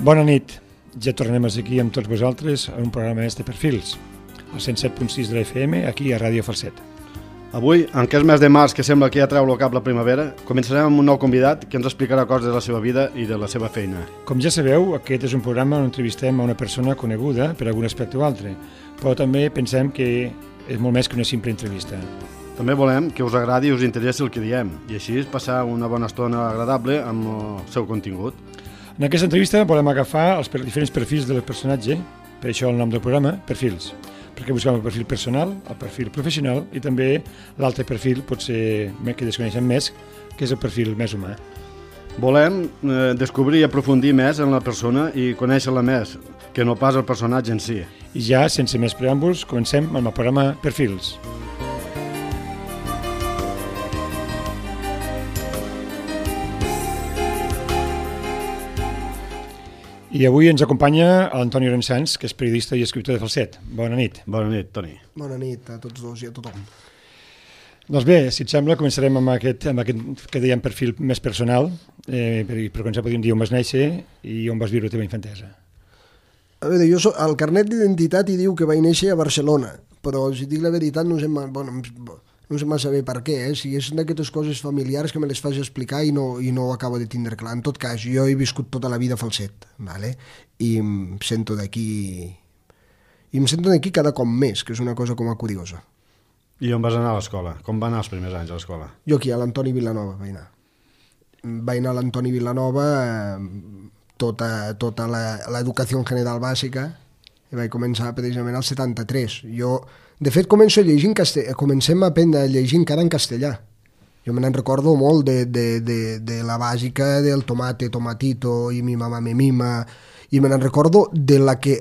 Bona nit, ja tornem aquí amb tots vosaltres a un programa de Perfils, al 107.6 de la FM, aquí a Ràdio Falset. Avui, en aquest mes de març que sembla que ja treu el cap la primavera, començarem amb un nou convidat que ens explicarà coses de la seva vida i de la seva feina. Com ja sabeu, aquest és un programa on entrevistem a una persona coneguda per algun aspecte o altre, però també pensem que és molt més que una simple entrevista. També volem que us agradi i us interessi el que diem, i així passar una bona estona agradable amb el seu contingut. En aquesta entrevista volem agafar els diferents perfils del personatge, per això el nom del programa, Perfils, perquè busquem el perfil personal, el perfil professional i també l'altre perfil, potser que desconeixem més, que és el perfil més humà. Volem descobrir i aprofundir més en la persona i conèixer-la més, que no pas el personatge en si. I ja, sense més preàmbuls, comencem amb el programa Perfils. I avui ens acompanya l'Antoni Rensans, que és periodista i escriptor de Falset. Bona nit. Bona nit, Toni. Bona nit a tots dos i a tothom. Doncs bé, si et sembla, començarem amb aquest que dèiem perfil més personal, per començar podríem dir on vas néixer i on vas viure la teva infantesa. A veure, jo al carnet d'identitat hi diu que vaig néixer a Barcelona, però si dic la veritat no sé massa bé per què, si és d'aquestes coses familiars que me les fas explicar i no ho acabo de tindre clar. En tot cas, jo he viscut tota la vida a Falset, ¿vale? I em sento d'aquí cada cop més, que és una cosa com a curiosa. I on vas anar a l'escola? Com van anar els primers anys a l'escola? Jo aquí, a l'Antoni Vilanova vaig anar. Vaig anar a l'Antoni Vilanova tota l'educació general bàsica i vaig començar precisament al 73. De fet, comencem a aprendre a llegir encara en castellà. Jo me n'en recordo molt de la bàsica del tomate, tomatito, i mi mamá me mima, i me n'en recordo de la que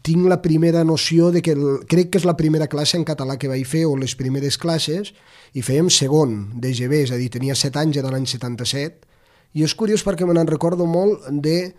tinc la primera noció de que crec que és la primera classe en català que vaig fer, o les primeres classes, i fèiem segon d'EGB, és a dir, tenia 7 anys, era l'any 77, i és curiós perquè me n'en recordo molt de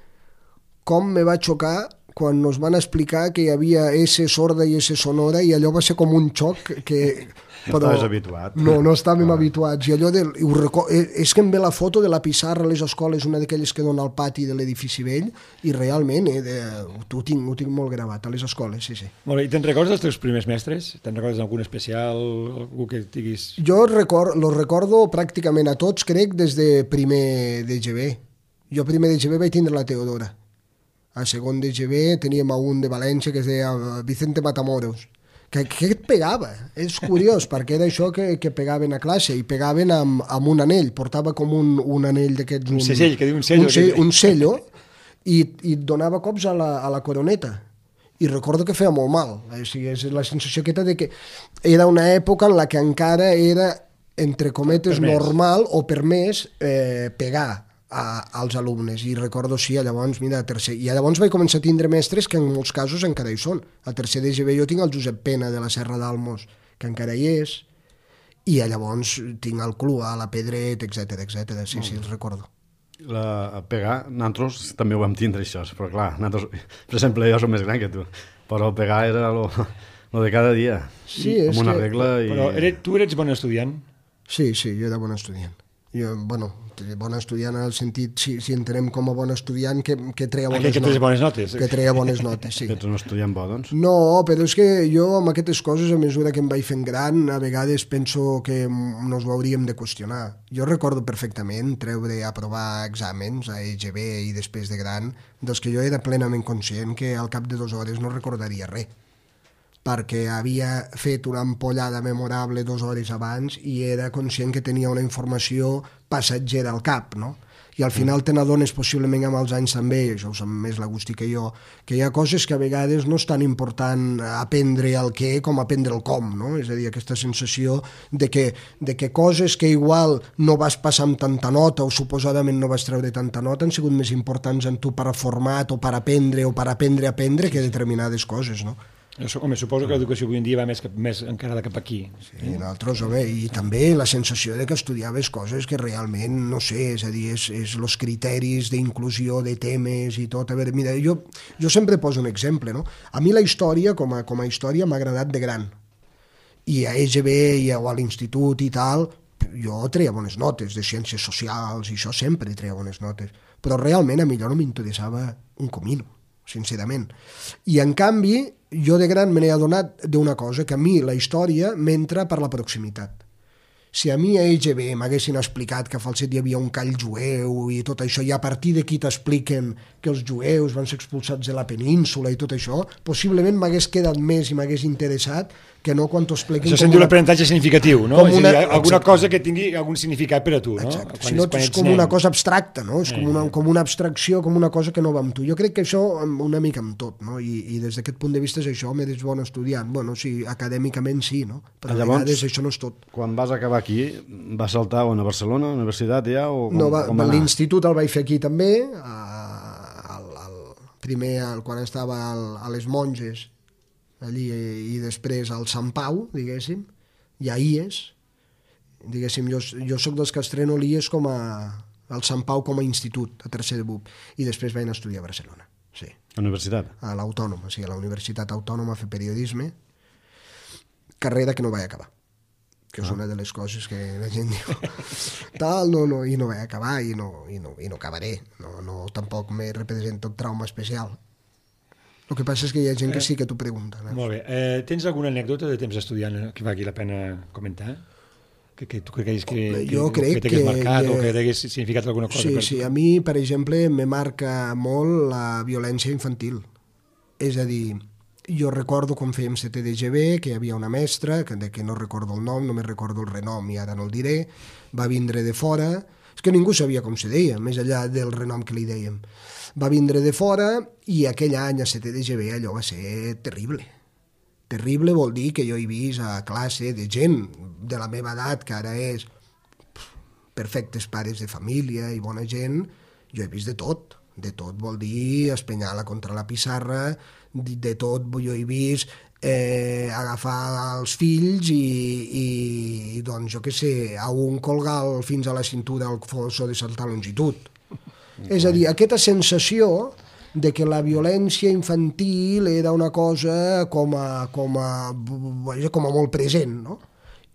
com me va xocar quan nos van explicar que hi havia S sorda i S sonora, i allò va ser com un xoc que... Estaves habituat. No estàvem habituats. I allò és que em ve la foto de la pissarra a les escoles, una d'aquelles que dona al pati de l'edifici vell, i realment ho tinc molt gravat a les escoles, sí. Molt bé, i te'n recordes dels teus primers mestres? Te'n recordes d'algun especial, algú que diguis... Jo los recordo pràcticament a tots, crec, des de primer d'EGB. Jo primer d'EGB vaig tindre la Teodora. A segon d'EGB teníem un de València que es deia Vicente Matamoros, que et pegava. És curiós, perquè era això que pegaven a classe, i pegaven amb un anell, portava com un anell d'aquests... Un segell, que diu un sello. Un sello, i et donava cops a la coroneta. I recordo que feia molt mal. És la sensació aquesta de que era una època en la que encara era, entre cometes, normal o permès pegar als alumnes, i recordo, sí, llavors, mira, a tercer, i llavors vaig començar a tindre mestres que en molts casos encara hi són. A tercer d'EGB jo tinc el Josep Pena de la Serra d'Almos, que encara hi és, i llavors tinc el Clua, la Pedret, etc. Sí, els recordo. A pegar, nosaltres també ho vam tindre, això, però clar, nosaltres, per exemple, jo som més gran que tu, però pegar era lo de cada dia, sí, amb una regla. Però tu eres bon estudiant? Sí, jo era bon estudiant. Bon estudiant en el sentit, si entenem com a bon estudiant, que treia bones notes. Que treia bones notes, sí. Que ets un estudiant bo, doncs? No, però és que jo amb aquestes coses, a mesura que em vaig fent gran, a vegades penso que nos ho hauríem de qüestionar. Jo recordo perfectament aprovar exàmens a EGB i després de gran, dels que jo era plenament conscient que al cap de 2 hores no recordaria res, perquè havia fet una ampollada memorable 2 hores abans i era conscient que tenia una informació passatgera al cap, no? I al final te n'adones, possiblement amb els anys també, això ho sap més l'Agustí que jo, que hi ha coses que a vegades no és tan important aprendre el què com aprendre el com, no? És a dir, aquesta sensació de que coses que igual no vas passar amb tanta nota o suposadament no vas treure tanta nota han sigut més importants en tu per a format o per aprendre o per aprendre a aprendre que determinades coses, no? Home, suposo que l'educació avui en dia va més encarada cap aquí. Sí, nosaltres, home, i també la sensació de que estudiaves coses que realment, no sé, és a dir, és els criteris d'inclusió de temes i tot. A veure, mira, jo sempre poso un exemple, no? A mi la història, com a història, m'ha agradat de gran. I a EGB o a l'institut i tal, jo treia bones notes de ciències socials i això sempre treia bones notes. però realment a mi allò no m'interessava un comino, sincerament. I en canvi, jo de gran me n'he adonat d'una cosa, que a mi la història m'entra per la proximitat. Si a mi a EGB m'haguessin explicat que a Falset hi havia un call jueu i tot això, i a partir d'aquí t'expliquen que els jueus van ser expulsats de la península i tot això, possiblement m'hagués quedat més i m'hagués interessat que no quan t'ho expliquen... Això se'n diu l'aprenentatge significatiu, no? És a dir, alguna exacte. cosa que tingui algun significat per a tu, no? Exacte. Si no, és com una cosa abstracta, no? És com una abstracció, com una cosa que no va amb tu. Jo crec que això una mica amb tot, no? I des d'aquest punt de vista és això, m'és bon estudiant. Bueno, sí, acadèmicament sí, no? Però a vegades això no és tot. Quan vas acabar aquí, vas saltar a Barcelona, a la universitat ja? O l'institut el vaig fer aquí també, primer quan estava a les Monges, allí, i després al Sant Pau, diguéssim, i a IES, diguéssim, jo soc dels que estreno l'IES al Sant Pau com a institut, a tercer de BUP, i després vaig anar a estudiar a Barcelona, sí. A universitat? A l'Autònoma, sí, a la Universitat Autònoma a fer periodisme, carrera que no vaig acabar, que és una de les coses que la gent diu, tal, no, i no vaig acabar, i no acabaré, no tampoc me representa un trauma especial. El que passa és que hi ha gent que sí que t'ho pregunta. Molt bé. Tens alguna anècdota de temps estudiant que valgui la pena comentar? Que tu creguis que t'hagués marcat o que t'hagués significat alguna cosa? Sí, a mi, per exemple, me marca molt la violència infantil. És a dir, jo recordo quan fèiem CTDGB que hi havia una mestra, que no recordo el nom, només recordo el renom i ara no el diré, va vindre de fora, és que ningú sabia com se deia, més enllà del renom que li dèiem. Va vindre de fora i aquell any a CTDGB allò va ser terrible. Terrible vol dir que jo he vist a classe de gent de la meva edat, que ara és perfectes pares de família i bona gent, jo he vist de tot. De tot vol dir espenyar-la contra la pissarra, de tot jo he vist agafar els fills i doncs jo què sé, a un colgar fins a la cintura el fosso de certa longitud. És a dir, aquesta sensació de que la violència infantil era una cosa com a molt present, no?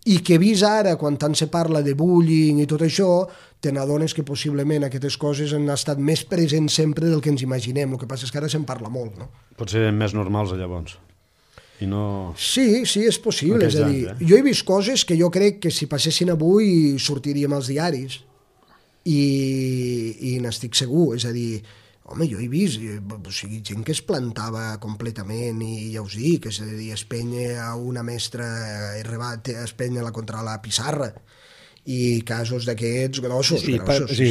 I que vist ara, quan tant se parla de bullying i tot això, te n'adones que possiblement aquestes coses han estat més presents sempre del que ens imaginem. El que passa és que ara se'n parla molt, no? Potser més normals llavors. I no... Sí, és possible. És a dir, jo he vist coses que jo crec que si passessin avui sortiríem als diaris. I n'estic segur, és a dir, home, jo he vist gent que es plantava completament i ja us dic, és a dir, espenya a una mestra, espenya-la contra la pissarra, i casos d'aquests grossos. Sí,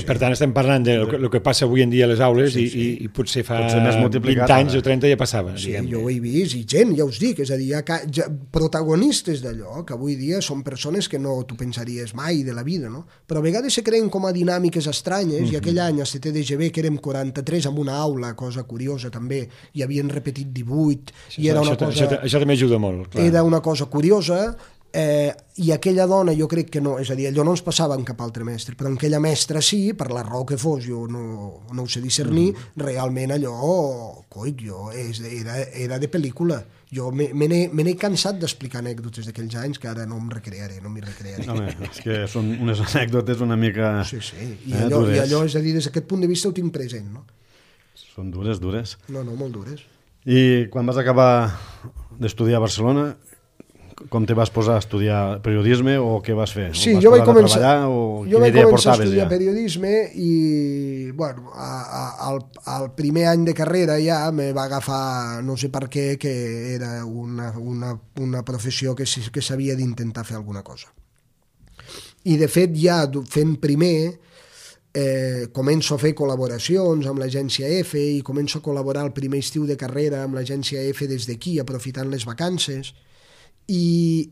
per tant estem parlant del que passa avui en dia a les aules i potser fa 20 anys o 30 ja passava. Sí, jo ho he vist, i gent, ja us dic, és a dir, hi ha protagonistes d'allò, que avui dia són persones que no t'ho pensaries mai de la vida, no? Però a vegades se creen com a dinàmiques estranyes, i aquell any a CTDGB, que érem 43 en una aula, cosa curiosa també, i havien repetit 18, i era una cosa... Això també ajuda molt, clar. Era una cosa curiosa, i aquella dona jo crec que no, és a dir, allò no ens passava amb cap altre mestre, però en aquella mestra sí, per la raó que fos, jo no ho sé discernir, realment allò, era de pel·lícula. Jo me n'he cansat d'explicar anècdotes d'aquells anys que ara no m'hi recrearé. Home, és que són unes anècdotes una mica... Sí, i allò, és a dir, des d'aquest punt de vista ho tinc present, no? Són dures. No, molt dures. I quan vas acabar d'estudiar a Barcelona, com te vas posar a estudiar periodisme o què vas fer? Sí, jo vaig començar a estudiar periodisme i, bueno, al primer any de carrera ja me va agafar, no sé per què, que era una professió que s'havia d'intentar fer alguna cosa. I, de fet, ja fent primer, començo a fer col·laboracions amb l'agència EFE i començo a col·laborar el primer estiu de carrera amb l'agència EFE des d'aquí, aprofitant les vacances. I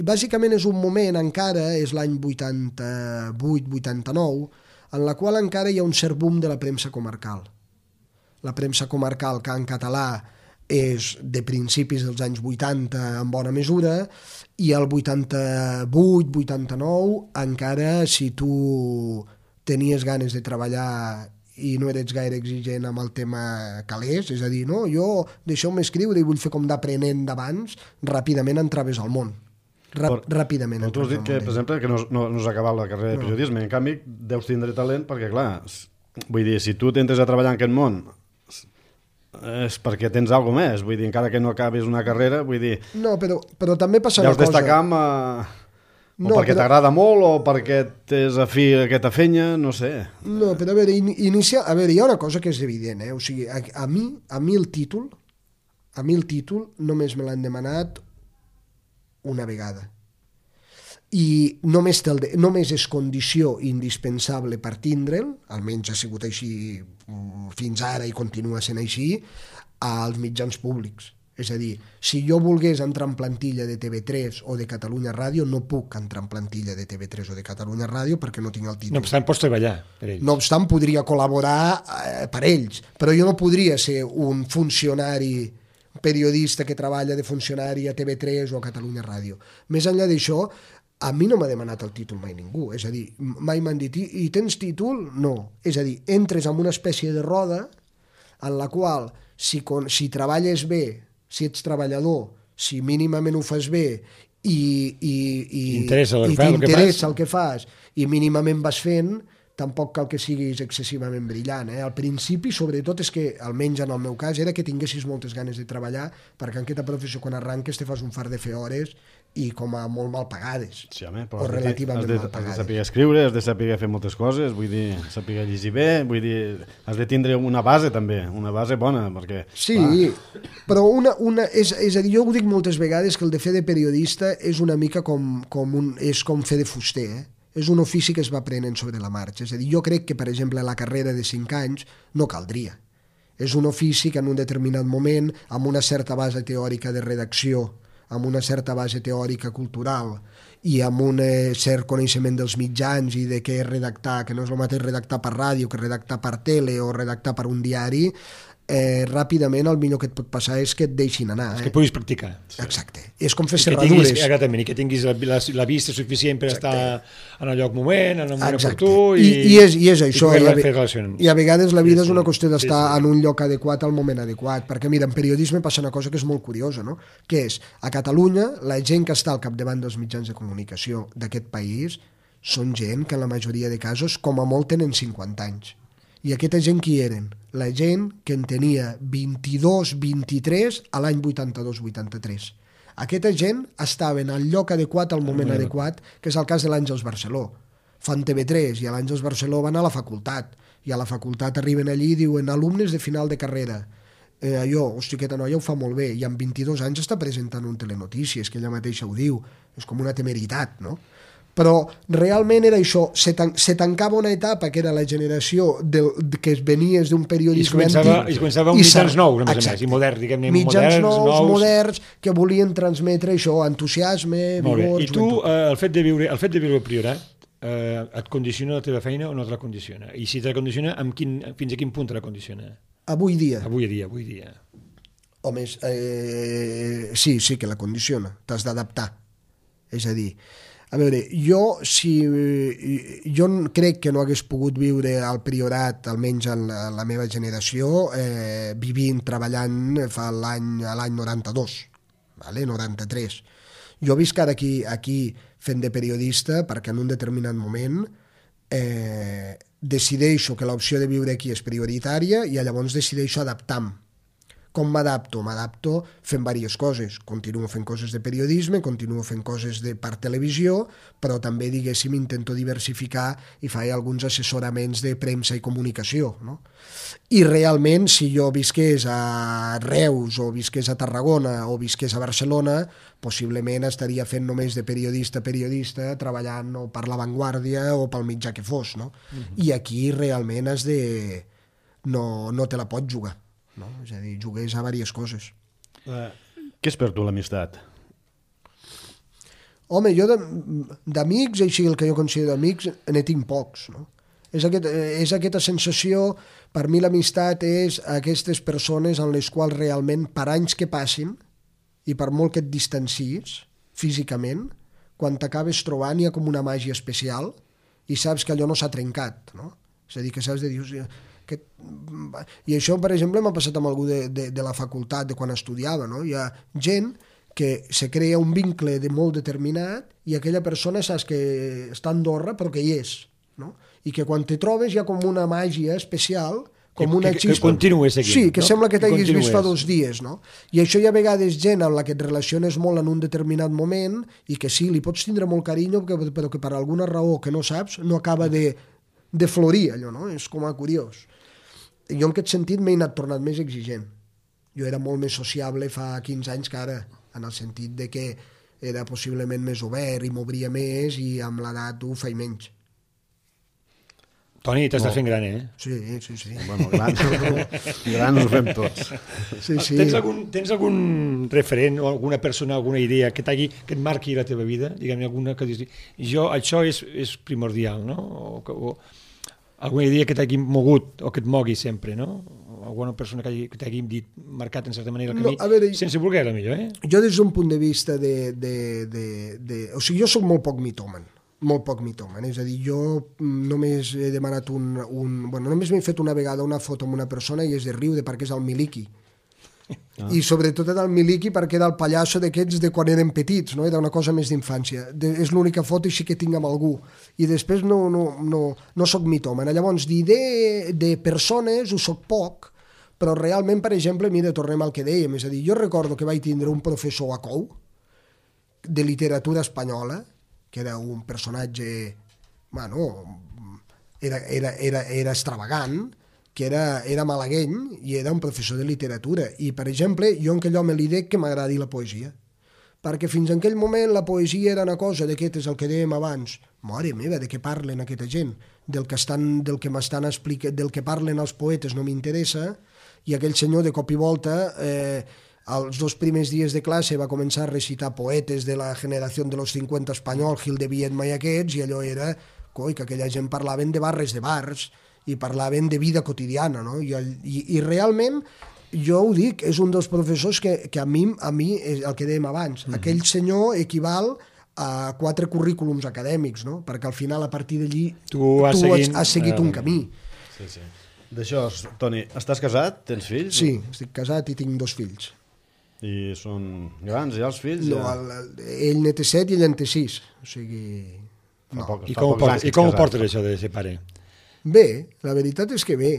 bàsicament és un moment encara, és l'any 88-89, en la qual encara hi ha un cert boom de la premsa comarcal. La premsa comarcal, que en català és de principis dels anys 80 en bona mesura, i el 88-89 encara, si tu tenies ganes de treballar i no eres gaire exigent amb el tema calés, és a dir, no, jo deixeu-me escriure i vull fer com d'aprenent d'abans, ràpidament entraves al món. Ràpidament. Tu has dit que, per exemple, que no has acabat la carrera de periodisme, en canvi deus tindre talent perquè, clar, vull dir, si tu t'entres a treballar en aquest món és perquè tens alguna més, vull dir, encara que no acabis una carrera, vull dir... No, però també passa una deus cosa... destacar o perquè t'agrada molt o perquè t'és afí a aquesta fenya, no sé. No, però a veure, hi ha una cosa que és evident, o sigui, a mi el títol només me l'han demanat una vegada. I només és condició indispensable per tindre'l, almenys ha sigut així fins ara i continua sent així, als mitjans públics. És a dir, si jo volgués entrar en plantilla de TV3 o de Catalunya Ràdio, no puc entrar en plantilla de TV3 o de Catalunya Ràdio perquè no tinc el títol. No obstant, pots treballar per ells. No obstant, podria col·laborar per ells, però jo no podria ser un funcionari periodista que treballa de funcionari a TV3 o a Catalunya Ràdio. Més enllà d'això, a mi no m'ha demanat el títol mai ningú, és a dir, mai m'han dit i tens títol? No. És a dir, entres en una espècie de roda en la qual si treballes bé, si ets treballador, si mínimament ho fas bé i t'interessa el que fas i mínimament vas fent, tampoc cal que siguis excessivament brillant. Al principi, sobretot, és que, almenys en el meu cas, era que tinguessis moltes ganes de treballar, perquè en aquesta professió, quan arranques, te fas un fart de fer hores i com a molt mal pagades, sí, home, però o relativament mal Has pagades. de saber escriure, has de saber fer moltes coses, vull dir, saber llegir bé, vull dir, has de tindre una base també, una base bona, perquè... Sí, però és a dir, jo ho dic moltes vegades que el de fer de periodista és una mica com fer de fuster, És un ofici que es va aprenent sobre la marxa. És a dir, jo crec que, per exemple, la carrera de 5 anys no caldria. És un ofici que en un determinat moment, amb una certa base teòrica de redacció, amb una certa base teòrica cultural i amb un cert coneixement dels mitjans i de què és redactar, que no és el mateix redactar per ràdio que redactar per tele o redactar per un diari, ràpidament el millor que et pot passar és que et deixin anar. És que puguis practicar. Exacte. És com fer serradures. Que tinguis la vista suficient per estar en el lloc moment, en el moment oportú i és això. I a vegades la vida és una qüestió d'estar en un lloc adequat al moment adequat, perquè mira, en periodisme passa una cosa que és molt curiosa, no? Que és, a Catalunya, la gent que està al capdavant dels mitjans de comunicació d'aquest país són gent que en la majoria de casos com a molt tenen 50 anys. I aquesta gent qui eren? La gent que en tenia 22, 23 a l'any 82-83. Aquesta gent estava en el lloc adequat al moment adequat, que és el cas de l'Àngels Barceló. Fan TV3 i a l'Àngels Barceló van a la facultat, i a la facultat arriben allí i diuen alumnes de final de carrera. Hosti, aquesta noia ho fa molt bé, i amb 22 anys està presentant un telenotícies, que ella mateixa ho diu. És com una temeritat, no? Però realment era això, se tancava una etapa que era la generació que venies d'un periodisme antic. I es començava amb mitjans nous, a més a més, i moderns, diguem-ne, mitjans moderns, que volien transmetre això, entusiasme, vigor... I tu, el fet de viure al Priorat, et condiciona la teva feina o no te la condiciona? I si te la condiciona, fins a quin punt te la condiciona? Avui dia. Home, sí que la condiciona, t'has d'adaptar. És a dir, a veure, jo crec que no hagués pogut viure al Priorat, almenys en la meva generació, vivint, treballant l'any 92, 93. Jo visc ara aquí fent de periodista perquè en un determinat moment decideixo que l'opció de viure aquí és prioritària i llavors decideixo adaptar-me. Com m'adapto? M'adapto fent diverses coses. Continuo fent coses de periodisme, continuo fent coses per televisió, però també, diguéssim, intento diversificar i faig alguns assessoraments de premsa i comunicació, no? I realment, si jo visqués a Reus o visqués a Tarragona o visqués a Barcelona, possiblement estaria fent només de periodista, treballant o per La Vanguardia o pel mitjà que fos, no? I aquí realment no te la pots jugar. No? És a dir, jugués a diverses coses. Què és per tu l'amistat? Home, jo d'amics, així el que jo considero amics, ne tinc pocs. No? És aquesta sensació, per mi l'amistat és aquestes persones en les quals realment, per anys que passin, i per molt que et distancies físicament, quan t'acabes trobant hi ha com una màgia especial i saps que allò no s'ha trencat. No? És a dir, que saps de dir... I això, per exemple, m'ha passat amb algú de la facultat, de quan estudiava, no? Hi ha gent que se crea un vincle de molt determinat i aquella persona saps que està a Andorra però que hi és. no? I que quan te trobes hi ha com una màgia especial, com una xispa. Que continues seguint. Sí, que no? sembla que t'haguis vist fa 2 dies, no? I això hi ha vegades gent amb la que et relaciones molt en un determinat moment i que sí, li pots tindre molt carinyo, però que per alguna raó que no saps no acaba de florir allò, no? És com a curiós. Jo en aquest sentit m'he anat tornant més exigent. Jo era molt més sociable fa 15 anys que ara, en el sentit de que era possiblement més obert i m'obria més i amb l'edat ho faig menys. Toni, t'estàs fent gran, Sí. Bueno, grans ho fem tots. Sí. Tens algun referent o alguna persona, alguna idea que et marqui la teva vida? Diguem-ne, alguna que dius, això és primordial, no? O alguna idea que t'hagi mogut o que et mogui sempre, no? Alguna persona que t'hagi marcat en certa manera el camí, sense voler, potser, Jo des d'un punt de vista o sigui, jo soc molt poc mitòman, és a dir, jo només he demanat només m'he fet una vegada una foto amb una persona i és de riure perquè és el Miliki. I sobretot era el Miliki perquè era el pallasso d'aquests de quan eren petits, no? Era una cosa més d'infància. És l'única foto així que tinc amb algú. I després no soc mitòman. Llavors, de persones ho soc poc, però realment, per exemple, mira, tornem al que dèiem, és a dir, jo recordo que vaig tindre un professor a COU de literatura espanyola, que era un personatge, era extravagant, que era malagueny i era un professor de literatura. I, per exemple, jo en aquell home li dic que m'agradi la poesia, perquè fins en aquell moment la poesia era una cosa d'aquest, és el que dèiem abans, mare meva, de què parlen aquesta gent? Del que m'estan explicant, del que parlen els poetes no m'interessa, i aquell senyor de cop i volta els 2 primers dies de classe va començar a recitar poetes de la generació de los 50 espanyol, Gil de Viedma i aquests, i allò era, que aquella gent parlaven de barres de bars i parlaven de vida quotidiana, no? I realment, jo ho dic, és un dels professors que a mi és el que dèiem abans, aquell senyor equival a 4 currículums acadèmics, no? Perquè al final, a partir d'allí, tu has seguit un camí. Sí. D'això, Toni, estàs casat? Tens fills? Sí, estic casat i tinc 2 fills. I són grans, ja, els fills? No, ell ne té 7 i ell en té 6. O sigui... No. I com ho portes, això de ser pare? Bé, la veritat és que bé,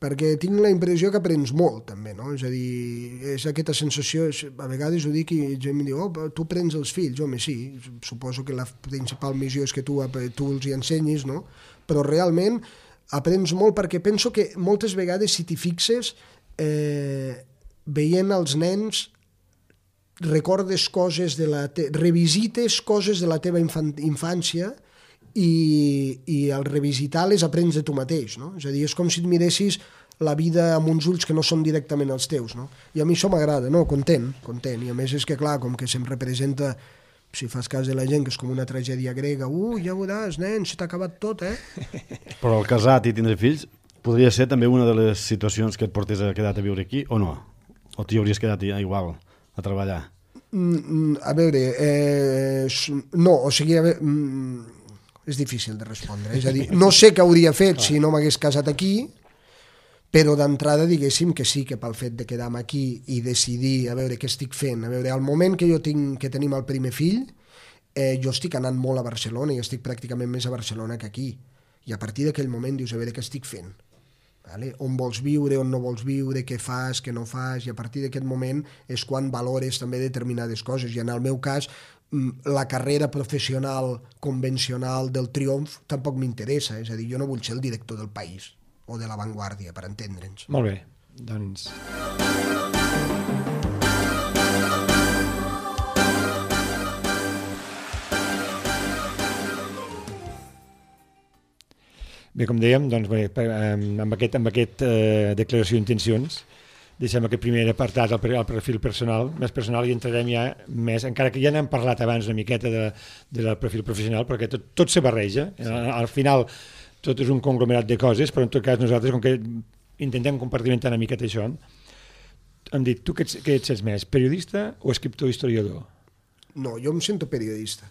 perquè tinc la impressió que aprens molt, també, no? És a dir, és aquesta sensació, a vegades ho dic i gent em diu, tu prens els fills, home, sí, suposo que la principal missió és que tu els hi ensenyis, no? Però realment aprens molt perquè penso que moltes vegades, si t'hi fixes, veient els nens, recordes coses revisites coses de la teva infància i al revisitar les aprens de tu mateix, no? És a dir, és com si et miressis la vida amb uns ulls que no són directament els teus, no? I a mi això m'agrada, no? Content. I a més és que, clar, com que se'm representa, si fas cas de la gent, que és com una tragèdia grega, ja veuràs, nen, se t'ha acabat tot, Però el casat i tindre fills podria ser també una de les situacions que et portés a quedar a viure aquí, o no? O t'hi hauries quedat ja igual a treballar? A veure, no, o sigui, és difícil de respondre. És a dir, no sé què hauria fet si no m'hagués casat aquí, però d'entrada diguéssim que sí, que pel fet de quedar-me aquí i decidir a veure què estic fent. A veure, al moment que tenim el primer fill, jo estic anant molt a Barcelona i estic pràcticament més a Barcelona que aquí. I a partir d'aquell moment dius, a veure què estic fent. Vale? On vols viure, on no vols viure, què fas, què no fas, i a partir d'aquest moment és quan valores també determinades coses. I en el meu cas, la carrera professional convencional del triomf tampoc m'interessa, és a dir, jo no vull ser el director del País o de La Vanguardia, per entendre'ns. Molt bé, doncs... Bé, com dèiem, doncs, amb aquest declaració d'intencions, deixem aquest primer apartat al perfil personal, més personal, i entrarem ja més, encara que ja n'hem parlat abans una miqueta del perfil professional, perquè tot se barreja. Al final tot és un conglomerat de coses, però en tot cas nosaltres, com que intentem compartimentar una miqueta això, hem dit, tu què et sents més, periodista o escriptor historiador? No, jo em sento periodista.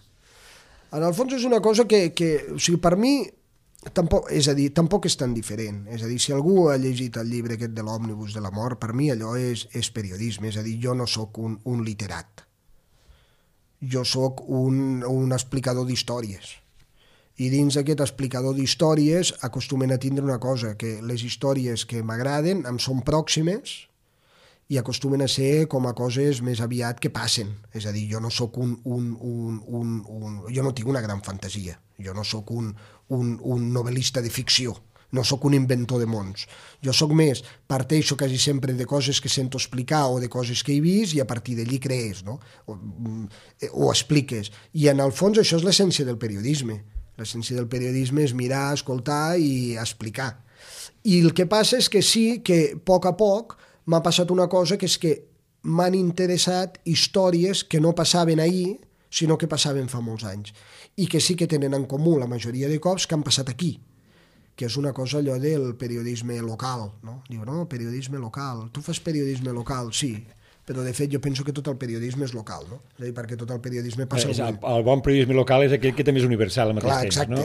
En el fons és una cosa que o sigui, per mi, tampoc és tan diferent. És a dir, si algú ha llegit el llibre aquest de l'òmnibus de la mort, per mi allò és periodisme. És a dir, jo no sóc un literat. Jo sóc un explicador d'històries. I dins aquest explicador d'històries acostumen a tindre una cosa, que les històries que m'agraden em són pròximes i acostumen a ser com a coses més aviat que passen. És a dir, jo no sóc jo no tinc una gran fantasia, jo no sóc un novel·lista de ficció, no sóc un inventor de mons. Jo sóc més, parteixo quasi sempre de coses que sento explicar o de coses que he vist i a partir d'allí crees, no? O expliques. I en el fons això és l'essència del periodisme. L'essència del periodisme és mirar, escoltar i explicar. I el que passa és que sí que a poc m'ha passat una cosa, que és que m'han interessat històries que no passaven ahir, sinó que passaven fa molts anys. I que sí que tenen en comú la majoria de cops que han passat aquí, que és una cosa allò del periodisme local, no? Diu, no, periodisme local. Tu fas periodisme local, sí, però de fet jo penso que tot el periodisme és local, no? És a dir, perquè tot el periodisme passa... El bon periodisme local és aquell que també és universal al mateix temps, no?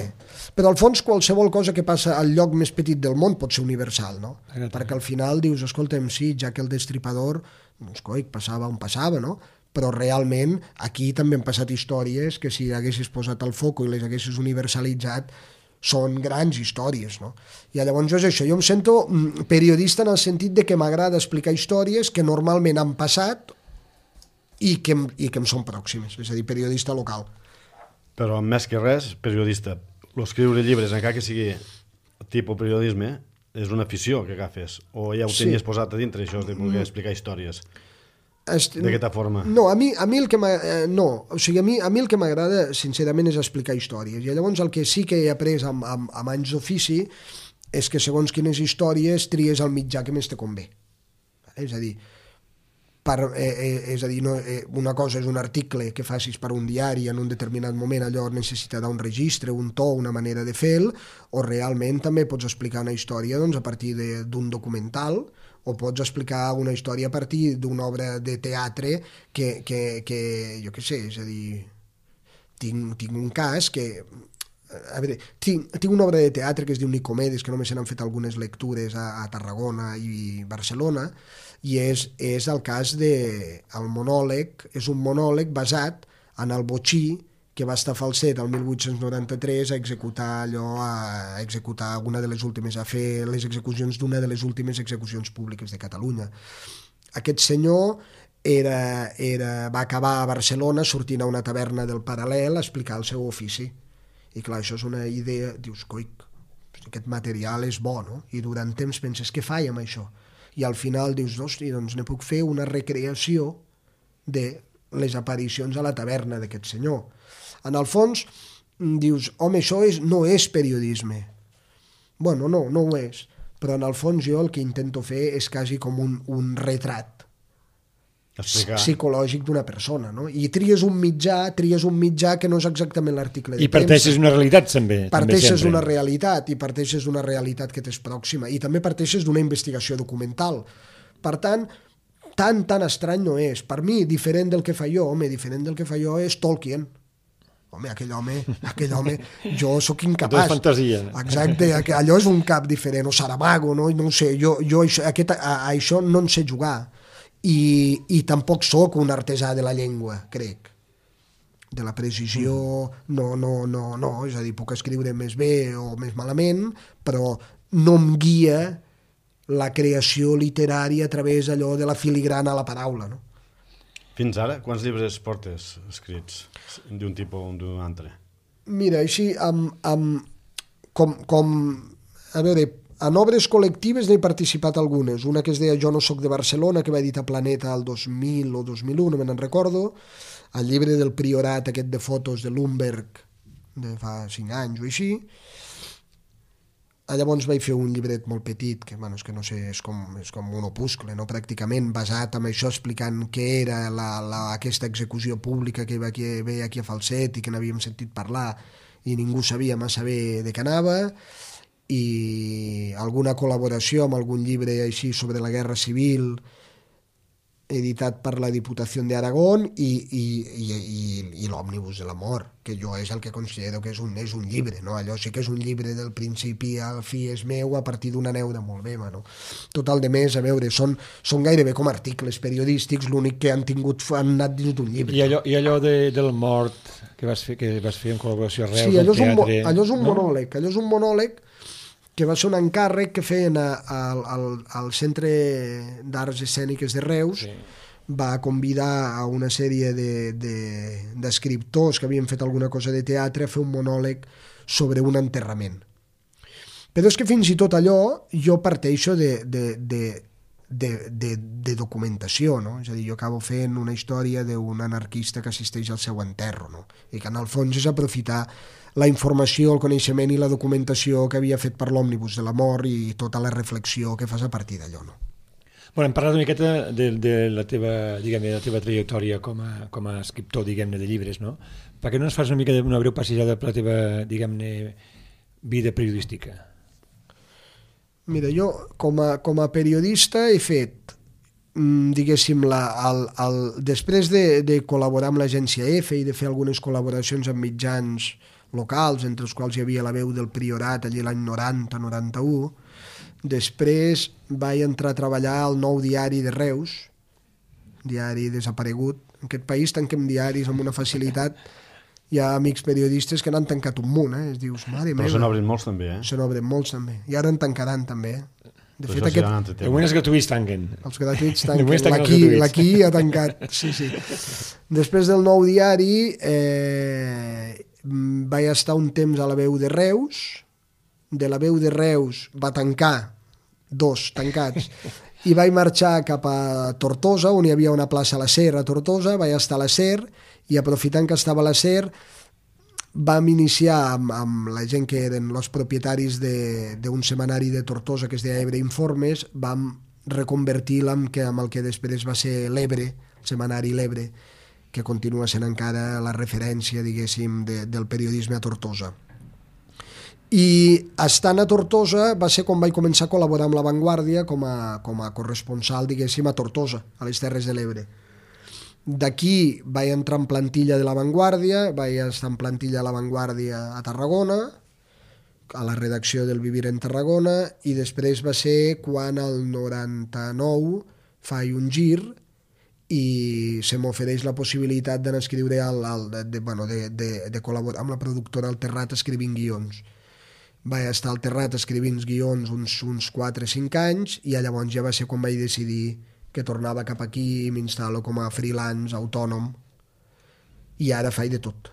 Però al fons qualsevol cosa que passa al lloc més petit del món pot ser universal, no? Perquè al final dius, escolta'm, sí, ja que el Destripador, doncs coi, passava on passava, no? Però realment aquí també han passat històries que si haguessis posat el foco i les haguessis universalitzat són grans històries, no? I llavors és això, jo em sento periodista en el sentit de que m'agrada explicar històries que normalment han passat i que em són pròximes, és a dir, periodista local. Però més que res, periodista. L'escriure llibres, encara que sigui tipus periodisme, és una afició que agafes, o ja ho tenies posat a dintre, això de voler explicar històries. D'aquesta forma. No, a mi el que m'agrada sincerament és explicar històries, i llavors el que sí que he après amb anys d'ofici és que segons quines històries tries el mitjà que més te convé. És a dir, una cosa és un article que facis per un diari en un determinat moment, allò necessitarà un registre, un to, una manera de fer-lo, o realment també pots explicar una història a partir d'un documental, o pots explicar una història a partir d'una obra de teatre que jo què sé, és a dir, tinc un cas que... A veure, tinc una obra de teatre que es diu Nicomedes, que només se n'han fet algunes lectures a Tarragona i Barcelona, i és el cas el monòleg, és un monòleg basat en el botxí que va estar Falset el 1893 a executar una de les últimes, a fer les execucions d'una de les últimes execucions públiques de Catalunya. Aquest senyor va acabar a Barcelona sortint a una taverna del Paral·lel a explicar el seu ofici. I clar, això és una idea, dius, coi, aquest material és bo, no? I durant temps penses, què faig amb això? I al final dius, hosti, doncs ne puc fer una recreació de les aparicions a la taverna d'aquest senyor. En el fons, dius, home, això no és periodisme. Bueno, no ho és. Però en el fons jo el que intento fer és quasi com un retrat psicològic d'una persona, no? I tries un mitjà que no és exactament l'article de premsa. I parteixes d'una realitat, també. Parteixes d'una realitat, i parteixes d'una realitat que t'és pròxima, i també parteixes d'una investigació documental. Per tant, tan estrany no és. Per mi, diferent del que fa jo, és Tolkien. Home, aquell home, jo sóc incapaç. Tot és fantasia. Exacte, allò és un cap diferent, o Saramago, no ho sé, jo això no en sé jugar. I tampoc sóc un artesà de la llengua, crec. De la precisió, no, és a dir, puc escriure més bé o més malament, però no em guia la creació literària a través allò de la filigrana a la paraula, no? Fins ara, quants llibres portes escrits d'un tipus o d'un altre? Mira, així, a veure, en obres col·lectives n'he participat algunes. Una que es deia Jo no soc de Barcelona, que va editar Planeta el 2000 o 2001, no me'n recordo. El llibre del Priorat, aquest de fotos de Lumberg, de fa 5 anys o així. Llavors vaig fer un llibret molt petit, que, bueno, és que no sé, és com un opuscle, no? Pràcticament basat en això, explicant què era aquesta execució pública que veia aquí a Falset i que n'havíem sentit parlar i ningú sabia massa bé de què anava, i alguna col·laboració amb algun llibre així sobre la Guerra Civil editat per la Diputació d'Aragón, i l'Òmnibus de l'amor, que jo és el que considero que és un llibre, no? Allò sí que és un llibre del principi al fi és meu, a partir d'una neura molt meva, no? Tot el de més, a veure, són gairebé com articles periodístics, l'únic que han anat dins d'un llibre. I allò del mort que vas fer en col·laboració a Reus, sí, allò és un no? monòleg que va ser un encàrrec que feien al Centre d'Arts Escèniques de Reus. Sí. Va convidar a una sèrie d'escriptors que havien fet alguna cosa de teatre a fer un monòleg sobre un enterrament. Però és que fins i tot allò jo parteixo de documentació, no? És a dir, jo acabo fent una història d'un anarquista que assisteix al seu enterro, no? I que en el fons és aprofitar la informació, el coneixement i la documentació que havia fet per l'Òmnibus de l'amor i tota la reflexió que fas a partir d'allò, no? Bueno, hem parlat una miqueta de la teva trajectòria com a escriptor, diguem-ne, de llibres, no? Per què no ens fas una breu passejada per la teva, diguem-ne, vida periodística? Mira, jo com a periodista he fet, diguéssim, després de col·laborar amb l'agència EFE i de fer algunes col·laboracions amb mitjans locals, entre els quals hi havia la Veu del Priorat allí l'any 90-91, després vaig entrar a treballar al Nou Diari de Reus, diari desaparegut. En aquest país tanquem diaris amb una facilitat. Hi ha amics periodistes que n'han tancat un munt, es dius, mare meva. Però se n'obren molts també, Se n'obren molts també. I ara en tancaran també, De fet, de moment els gratuïts tanquen. Els gratuïts tanquen. L'Aquí ha tancat, sí. Després del Nou Diari vaig estar un temps a la Veu de Reus. De la Veu de Reus va tancar, 2 tancats, i vaig marxar cap a Tortosa, on hi havia una plaça a la SER a Tortosa. Vaig estar a la SER i, aprofitant que estava a la SER, vam iniciar amb la gent que eren els propietaris d'un setmanari de Tortosa que es deia Ebre Informes. Vam reconvertir-la amb el que després va ser l'Ebre, el setmanari l'Ebre, que continua sent encara la referència, diguéssim, del periodisme a Tortosa. I estant a Tortosa va ser quan vaig començar a col·laborar amb La Vanguardia com a corresponsal, diguéssim, a Tortosa, a les Terres de l'Ebre. D'aquí vaig entrar en plantilla de La Vanguardia, vaig estar en plantilla a La Vanguardia a Tarragona, a la redacció del Vivir en Tarragona, i després va ser quan al 99 faig un gir i se m'ofereix la possibilitat d'anar a escriure de col·laborar amb la productora El Terrat escrivint guions. Vaig estar al Terrat escrivint guions uns 4 o 5 anys, i llavors ja va ser quan vaig decidir que tornava cap aquí i m'instal·lo com a freelance, autònom, i ara faig de tot.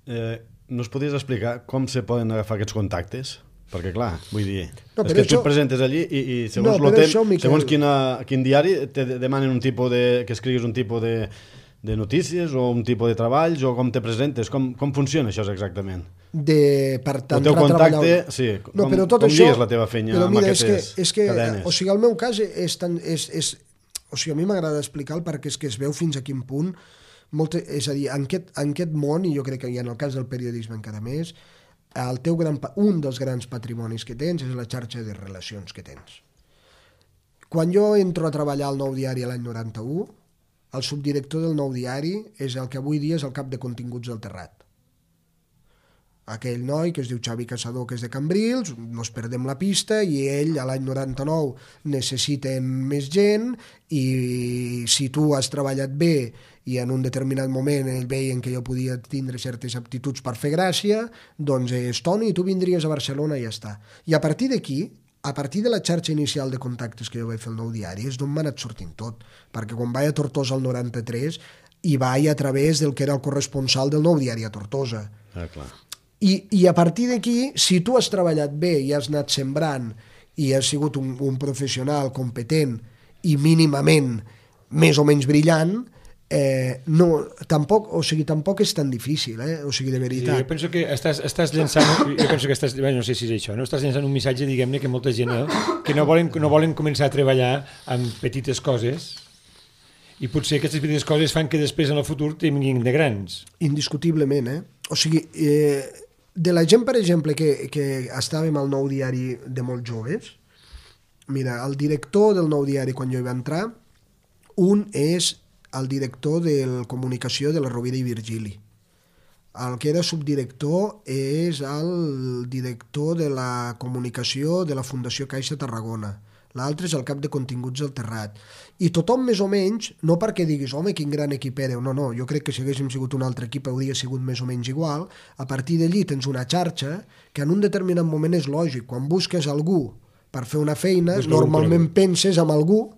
No es podries explicar com se poden agafar aquests contactes? Perquè clar, vull dir, és que tu et presentes allí i segons quin diari te demanen un tipus que escriguis un tipus de notícies o un tipus de treballs, o com te presentes, com funciona això exactament? Per tant, el teu contacte, sí, com digues la teva feina amb aquestes cadenes? O sigui, el meu cas o sigui, a mi m'agrada explicar perquè és que es veu fins a quin punt, és a dir, en aquest món, i jo crec que en el cas del periodisme encara més, un dels grans patrimonis que tens és la xarxa de relacions que tens. Quan jo entro a treballar al Nou Diari l'any 91, el subdirector del Nou Diari és el que avui dia és el cap de continguts del Terrat. Aquell noi que es diu Xavi Caçador, que és de Cambrils, no es perdem la pista, i ell a l'any 99 necessiten més gent, i si tu has treballat bé i en un determinat moment ell veien que jo podia tindre certes aptituds per fer gràcia, doncs Toni, tu vindries a Barcelona i ja està. I a partir d'aquí, a partir de la xarxa inicial de contactes que jo vaig fer al Nou Diari, és d'on m'ha anat sortint tot, perquè quan vaig a Tortosa el 93 hi vaig a través del que era el corresponsal del Nou Diari a Tortosa. Clar. I a partir d'aquí, si tu has treballat bé i has anat sembrant i has sigut un professional competent i mínimament més o menys brillant, tampoc és tan difícil, o sigui, de veritat. Jo penso que estàs llançant, no sé si és això, no? Estàs llançant un missatge, diguem-ne, que molta gent que no volen començar a treballar amb petites coses, i potser aquestes petites coses fan que després en el futur tinguin de grans. Indiscutiblement, O sigui, de la gent, per exemple, que estàvem al Nou Diari de molt joves, mira, el director del Nou Diari, quan jo hi va entrar, Un és el director de comunicació de la Rovira i Virgili. El que era subdirector és el director de la comunicació de la Fundació Caixa Tarragona. L'altre és el cap de continguts del Terrat. I tothom més o menys, no perquè diguis, home, quin gran equip éreu, no, jo crec que si haguéssim sigut un altre equip hauria sigut més o menys igual. A partir d'allí tens una xarxa que en un determinat moment és lògic. Quan busques algú per fer una feina, normalment penses en algú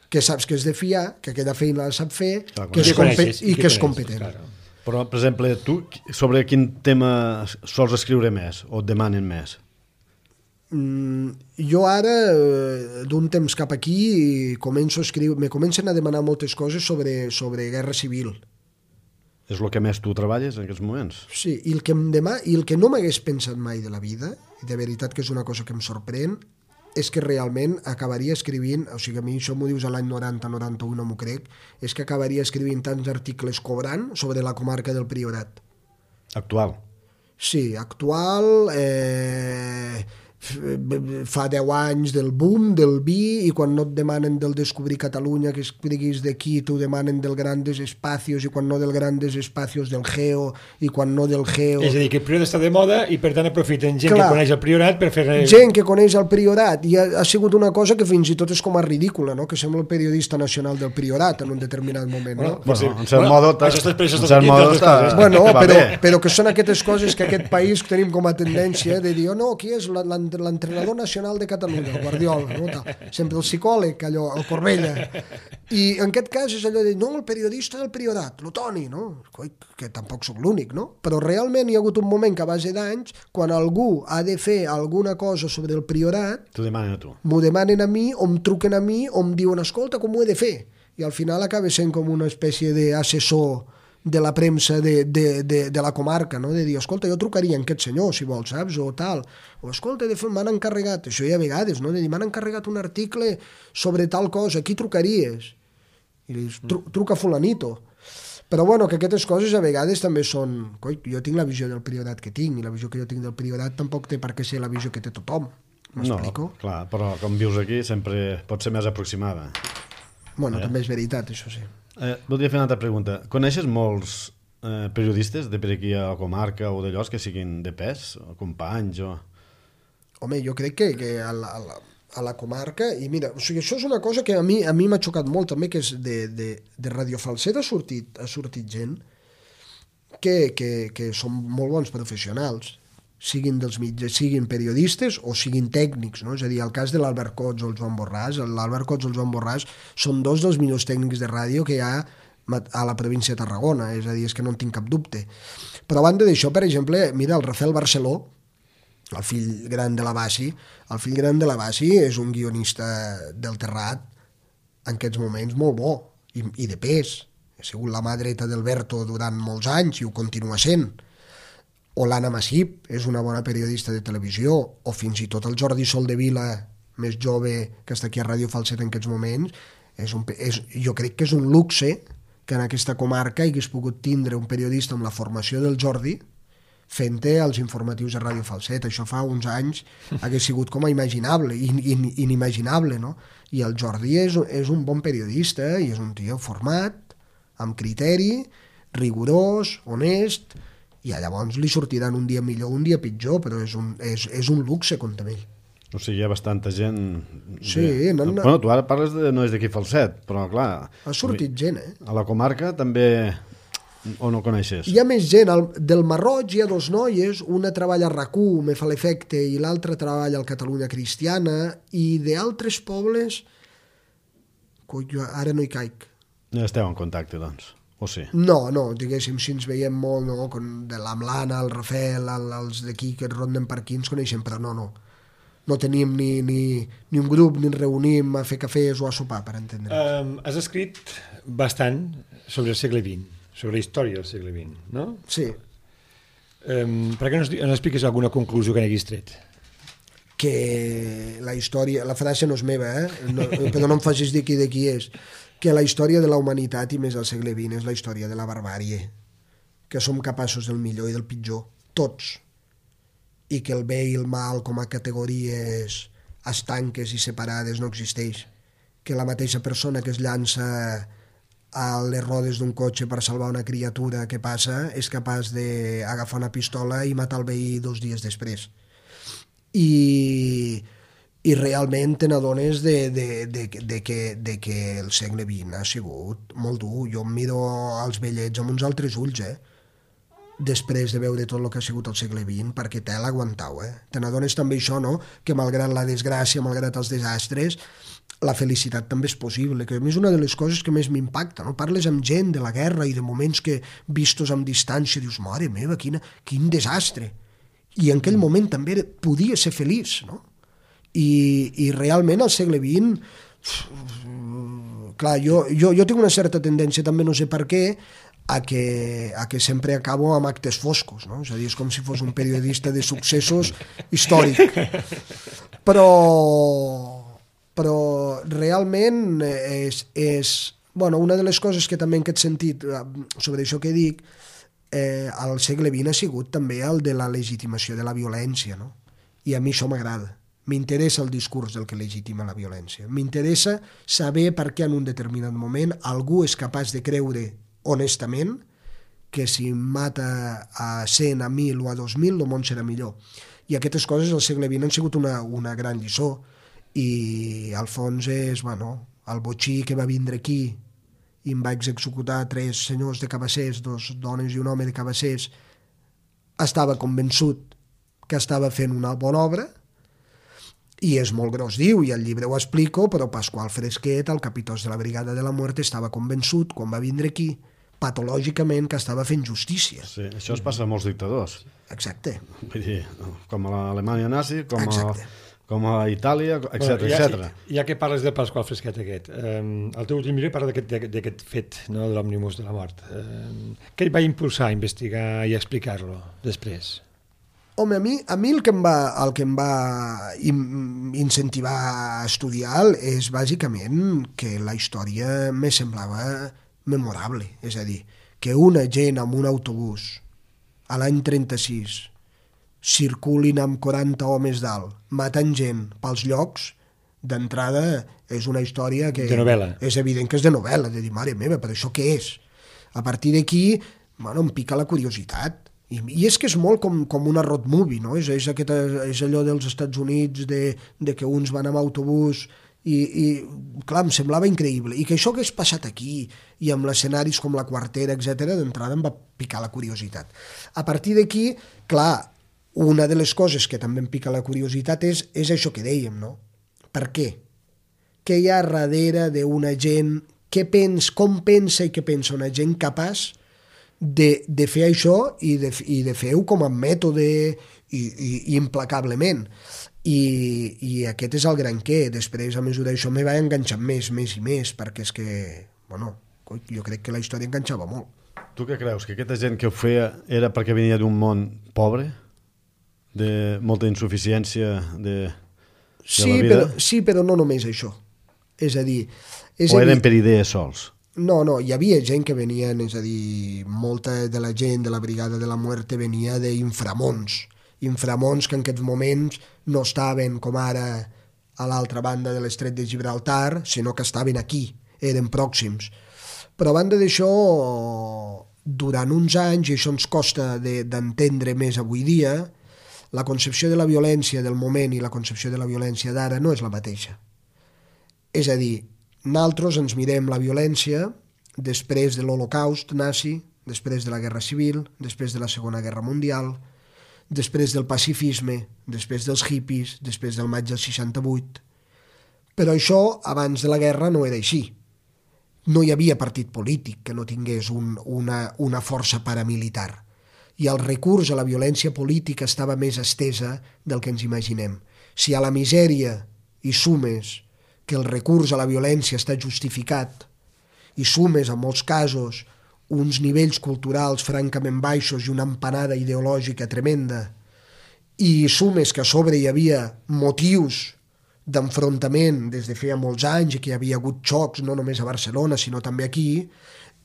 que saps que és de fiar, que aquella feina la sap fer, que és competent. Claro. Però, per exemple, tu sobre quin tema sols escriure més o et demanen més? Jo ara, d'un temps cap aquí, me comencen a demanar moltes coses sobre guerra civil. És el que més tu treballes en aquests moments? Sí, i el que no m'hagués pensat mai de la vida, i de veritat que és una cosa que em sorprèn, és que realment acabaria escrivint, o sigui, a mi això m'ho dius a l'any 90-91, no m'ho crec, és que acabaria escrivint tants articles cobrant sobre la comarca del Priorat. Actual? Sí, actual, fa 10 anys del boom del vi, i quan no et demanen del Descobrir Catalunya que escriguis d'aquí, t'ho demanen del Grandes Espacios, i quan no del Grandes Espacios del Geo, i quan no del Geo... És a dir, que el Priorat està de moda i per tant aprofiten gent que coneix el Priorat per fer... Gent que coneix el Priorat, i ha sigut una cosa que fins i tot és com a ridícula, no? Que sembla el periodista nacional del Priorat en un determinat moment, no? En cert modo... Bueno, però que són aquestes coses que aquest país tenim com a tendència de dir, no, qui és l'entrenador nacional de Catalunya, el Guardiola, no? Sempre el psicòleg, allò, el Corbella. I en aquest cas és allò de dir, no, el periodista del Priorat, el Toni, no? Que tampoc sóc l'únic, no? Però realment hi ha hagut un moment que a base d'anys, quan algú ha de fer alguna cosa sobre el Priorat, t'ho demanen a tu. M'ho demanen a mi, o em truquen a mi, o em diuen, escolta, com ho he de fer? I al final acaba sent com una espècie d'assessor de la premsa de la comarca, no? De dir, escolta, jo trucaria a aquest senyor, si vols, saps? O tal. O, escolta, m'han encarregat, això hi ha vegades, no? De dir, m'han encarregat un article sobre tal cosa, qui trucaries? I dius, truca fulanito. Però bueno, que aquestes coses a vegades també són... Coi, jo tinc la visió del Priorat que tinc, i la visió que jo tinc del Priorat tampoc té per què ser la visió que té tothom. M'explico? No, clar, però com vius aquí sempre pot ser més aproximada. Bueno, també és veritat, això sí. Voldria fer una altra pregunta. Coneixes molts periodistes de per aquí a la comarca o d'allò que siguin de pes, o companys o... Home, jo crec que a la comarca, i mira, o sigui, això és una cosa que a mi m'ha xocat molt també, que és de Radio Falset ha sortit gent que són molt bons professionals, siguin dels mitjans, siguin periodistes o siguin tècnics, no? És a dir, el cas de l'Albert Cots o el Joan Borràs, l'Albert Cots o el Joan Borràs són dos dels millors tècnics de ràdio que hi ha a la província de Tarragona, és a dir, és que no en tinc cap dubte. Però a banda d'això, per exemple, mira, el Rafael Barceló, el fill gran de la Bassi, és un guionista del Terrat en aquests moments molt bo i de pes. Ha sigut la mà dreta d'Alberto durant molts anys i ho continua sent. O l'Anna Massip és una bona periodista de televisió, o fins i tot el Jordi Soldevila, més jove, que està aquí a Ràdio Falset en aquests moments, jo crec que és un luxe que en aquesta comarca hagués pogut tindre un periodista amb la formació del Jordi fent-te els informatius de Ràdio Falset. Això fa uns anys hagués sigut com a imaginable, inimaginable, no? I el Jordi és un bon periodista i és un tio format, amb criteri, rigorós, honest, i llavors li sortiran un dia millor, un dia pitjor, però és un luxe comptar amb ell. O sigui, hi ha bastanta gent... Sí, Bueno, tu ara parles no és d'aquí Falset, però clar... Ha sortit gent, A la comarca també... O no coneixes? Hi ha més gent. Del Marroig hi ha dos noies, una treballa a RAC1, me fa l'efecte, i l'altra treballa al Catalunya Cristiana, i d'altres pobles... Ara no hi caic. Ja esteu en contacte, doncs. O sí? No, diguéssim, si ens veiem molt, no? De l'Amlana, el Rafael, els d'aquí que ronden per aquí ens coneixem, però no. No tenim ni un grup, ni ens reunim a fer cafès o a sopar, per entendre. Has escrit bastant sobre el segle XX, sobre la història del segle XX, no? Sí. Per què no ens expliques alguna conclusió que n'haguis tret? Que la història... La frase no és meva, però no em facis dir de qui és. Que la història de la humanitat, i més al segle XX, és la història de la barbàrie, que som capaços del millor i del pitjor, tots, i que el bé i el mal com a categories estanques i separades no existeix, que la mateixa persona que es llança a les rodes d'un cotxe per salvar una criatura que passa és capaç d'agafar una pistola i matar el veí 2 dies després. I realment te n'adones de que el segle XX ha sigut molt dur. Jo em miro als vellets amb uns altres ulls, després de veure tot el que ha sigut el segle XX, perquè te l'aguantau, Te n'adones també això, no?, que malgrat la desgràcia, malgrat els desastres, la felicitat també és possible, que a mi és una de les coses que més m'impacta, no? Parles amb gent de la guerra i de moments que, vistos amb distància, dius, mare meva, quin desastre. I en aquell moment també podia ser feliç, no? I realment al segle XX, clar, jo tinc una certa tendència, també no sé per què, a que sempre acabo amb actes foscos, no? És a dir, és com si fos un periodista de successos històric. Però realment bueno, una de les coses que també en aquest sentit, sobre això que dic, al segle XX ha sigut també el de la legitimació de la violència, no? I a mi això m'agrada. M'interessa el discurs del que legitima la violència. M'interessa saber per què en un determinat moment algú és capaç de creure honestament que si mata a 100, a 1.000 o a 2.000 el món serà millor. I aquestes coses al segle XX han sigut una gran lliçó. I al fons és, bueno, el botxí que va vindre aquí i em va executar 3 senyors de Cabassers, 2 dones i un home de Cabassers, estava convençut que estava fent una bona obra, i és molt gros, diu, i al llibre ho explico, però Pasqual Fresquet, el capitós de la Brigada de la Muerte, estava convençut, quan va vindre aquí, patològicament, que estava fent justícia. Sí, això es passa a molts dictadors. Exacte. Vull dir, com a l'Alemanya nazi, com a Itàlia, etc. Ja que parles del Pasqual Fresquet aquest, el teu últim llibre parla d'aquest fet, no, de l'òmnibus de la mort. Què et va impulsar a investigar i a explicar-lo després? Home, a mi el que em va incentivar a estudiar és bàsicament que la història me semblava memorable. És a dir, que una gent amb un autobús a l'any 36 circulin amb 40 homes dalt, matant gent pels llocs, d'entrada és una història que... De novel·la. És evident que és de novel·la, de dir, mare meva, però això què és? A partir d'aquí, bueno, em pica la curiositat. I és que és molt com una road movie, no? És allò dels Estats Units de que uns van amb autobús i clar, em semblava increïble. I que això hagués passat aquí i amb escenaris com la Quartera, etc., d'entrada em va picar la curiositat. A partir d'aquí, clar, una de les coses que també em pica la curiositat és això que dèiem, no? Per què? Què hi ha darrere d'una gent? Com pensa i què pensa una gent capaç de fer això i de fer-ho com a mètode i implacablement. I aquest és el gran què. Després, a mesura d'això, me va enganxar més i més, perquè és que, bueno, jo crec que la història enganxava molt. Tu què creus? Que aquesta gent que ho feia era perquè venia d'un món pobre? De molta insuficiència de la vida? Sí, però no només això. És a dir... O eren per idees sols? No, hi havia gent que venien, és a dir, molta de la gent de la Brigada de la Muerte venia d'inframons que en aquests moments no estaven com ara a l'altra banda de l'estret de Gibraltar, sinó que estaven aquí, eren pròxims. Però a banda d'això, durant uns anys, i això ens costa d'entendre més avui dia, la concepció de la violència del moment i la concepció de la violència d'ara no és la mateixa. És a dir, nosaltres ens mirem la violència després de l'Holocaust nazi, després de la Guerra Civil, després de la Segona Guerra Mundial, després del pacifisme, després dels hippies, després del maig del 68. Però això, abans de la guerra, no era així. No hi havia partit polític que no tingués una força paramilitar. I el recurs a la violència política estava més estesa del que ens imaginem. Si a la misèria hi sumes que el recurs a la violència està justificat i sumes, en molts casos, uns nivells culturals francament baixos i una empanada ideològica tremenda, i sumes que a sobre hi havia motius d'enfrontament des de feia molts anys i que hi havia hagut xocs no només a Barcelona sinó també aquí,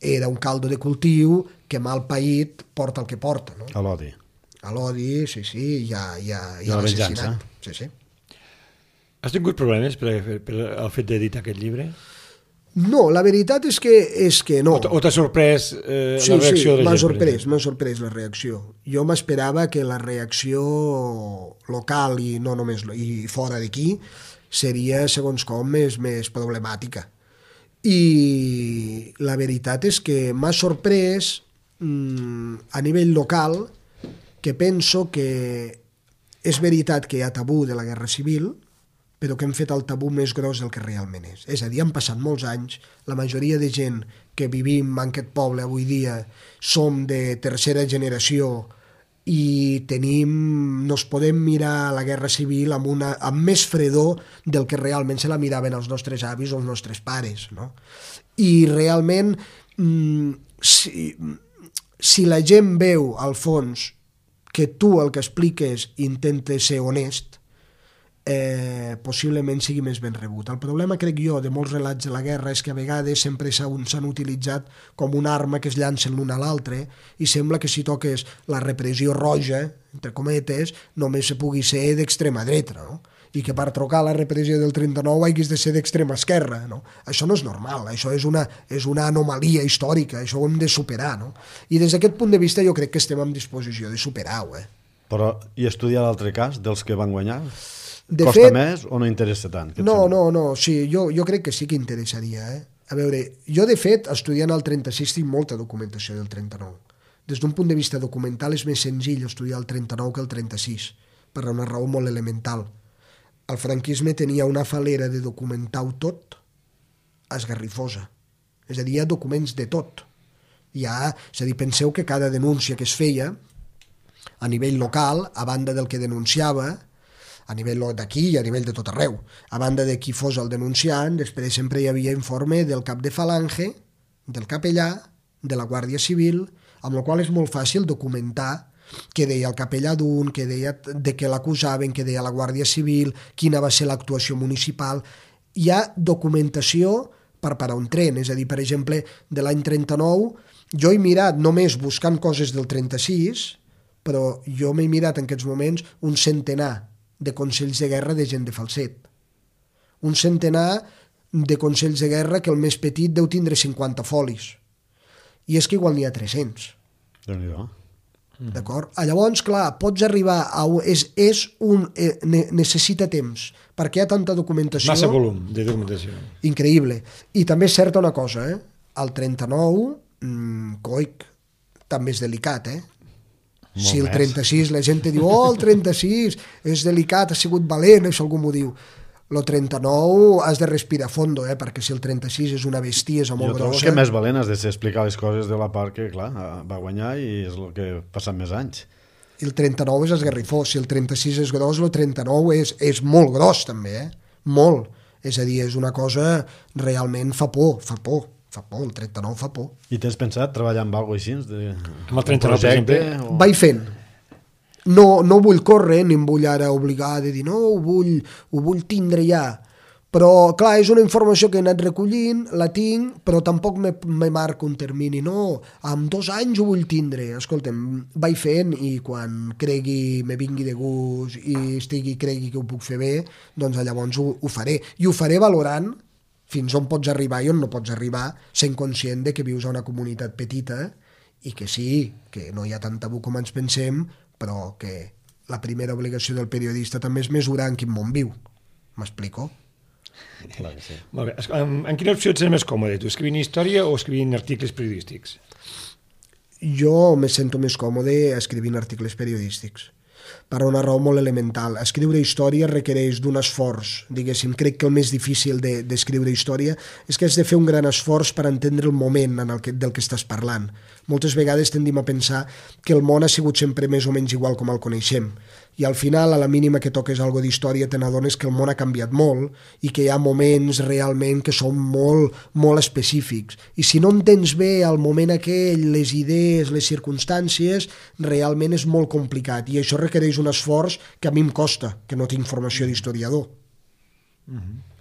era un caldo de cultiu que mal paït porta el que porta. No? A l'odi. A l'odi, sí, i a l'assassinat. Sí. Has tingut problemes per el fet d'editar aquest llibre? No, la veritat és que no. O t'ha sorprès la reacció de la gent? M'ha sorprès la reacció. Jo m'esperava que la reacció local i no només i fora d'aquí seria, segons com, més problemàtica. I la veritat és que m'ha sorprès a nivell local, que penso que és veritat que hi ha tabú de la guerra civil, però que hem fet el tabú més gros del que realment és. És a dir, han passat molts anys, la majoria de gent que vivim en aquest poble avui dia som de tercera generació i nos podem mirar la guerra civil amb més fredor del que realment se la miraven els nostres avis o els nostres pares, no? I realment, si la gent veu, al fons, que tu el que expliques intentes ser honest, possiblement sigui més ben rebut. El problema, crec jo, de molts relats de la guerra és que a vegades sempre s'han utilitzat com una arma que es llancen l'un a l'altre i sembla que si toques la repressió roja, entre cometes, només se pugui ser d'extrema dreta, no? I que per trocar la repressió del 39 haguis de ser d'extrema esquerra, no? Això no és normal, això és una anomalia històrica, això ho hem de superar, no? I des d'aquest punt de vista jo crec que estem en disposició de superar-ho, Però, i estudiar l'altre cas dels que van guanyar? Costa més o no interessa tant? No, sí, jo crec que sí que interessaria. A veure, jo de fet, estudiant el 36 tinc molta documentació del 39. Des d'un punt de vista documental és més senzill estudiar el 39 que el 36, per una raó molt elemental. El franquisme tenia una falera de documentar-ho tot esgarrifosa. És a dir, hi ha documents de tot. És a dir, penseu que cada denúncia que es feia a nivell local, a banda del que denunciava, a nivell d'aquí i a nivell de tot arreu. A banda de qui fos el denunciant, després sempre hi havia informe del cap de falange, del capellà, de la Guàrdia Civil, amb la qual és molt fàcil documentar què deia el capellà d'un, què deia de què l'acusaven, què deia la Guàrdia Civil, quina va ser l'actuació municipal. Hi ha documentació per parar un tren, és a dir, per exemple, de l'any 39, jo he mirat només buscant coses del 36, però jo m'he mirat en aquests moments un centenar de consells de guerra de gent de falset. Un centenar de consells de guerra que el més petit deu tindre 50 folis. I és que igual n'hi ha 300. Déu-n'hi-do. D'acord? Llavors, clar, pots arribar a... necessita temps, perquè hi ha tanta documentació... Massa volum de documentació. Increïble. I també és certa una cosa, el 39, coic, també és delicat, Si el 36, la gent te diu, el 36 és delicat, ha sigut valent, això algú m'ho diu. El 39 has de respirar a fondo, perquè si el 36 és una bestiesa molt grossa... Jo trobo que més valent has de ser explicar les coses de la part que, clar, va guanyar i és el que ha passat més anys. I el 39 és esgarrifós, si el 36 és gros, el 39 és molt gros també, molt. És a dir, és una cosa realment fa por, el 39 fa por. I tens pensat treballar amb alguna cosa així? Amb el 39, per exemple? Vaig fent. No vull córrer, ni em vull ara obligar de dir no, ho vull tindre ja. Però, clar, és una informació que he anat recollint, la tinc, però tampoc me marco un termini. No, en 2 anys ho vull tindre. Escolta'm, vaig fent i quan cregui, me vingui de gust i cregui que ho puc fer bé, doncs llavors ho faré. I ho faré valorant fins on pots arribar i on no pots arribar, sent conscient de que vius a una comunitat petita i que sí, que no hi ha tant tabú com ens pensem, però que la primera obligació del periodista també és mesurar en quin món viu. M'explico? Clar que sí. Molt bé. En quina opció ets més còmode, tu? Escrivint història o escrivint articles periodístics? Jo me sento més còmode escrivint articles periodístics, per una raó molt elemental. Escriure història requereix d'un esforç, diguéssim. Crec que el més difícil d'escriure història és que has de fer un gran esforç per entendre el moment del que estàs parlant. Moltes vegades tendim a pensar que el món ha sigut sempre més o menys igual com el coneixem. I al final, a la mínima que toques alguna d'història, te n'adones que el món ha canviat molt i que hi ha moments realment que són molt, molt específics. I si no entens bé el moment aquell, les idees, les circumstàncies, realment és molt complicat. I això requereix un esforç que a mi em costa, que no tinc formació d'historiador.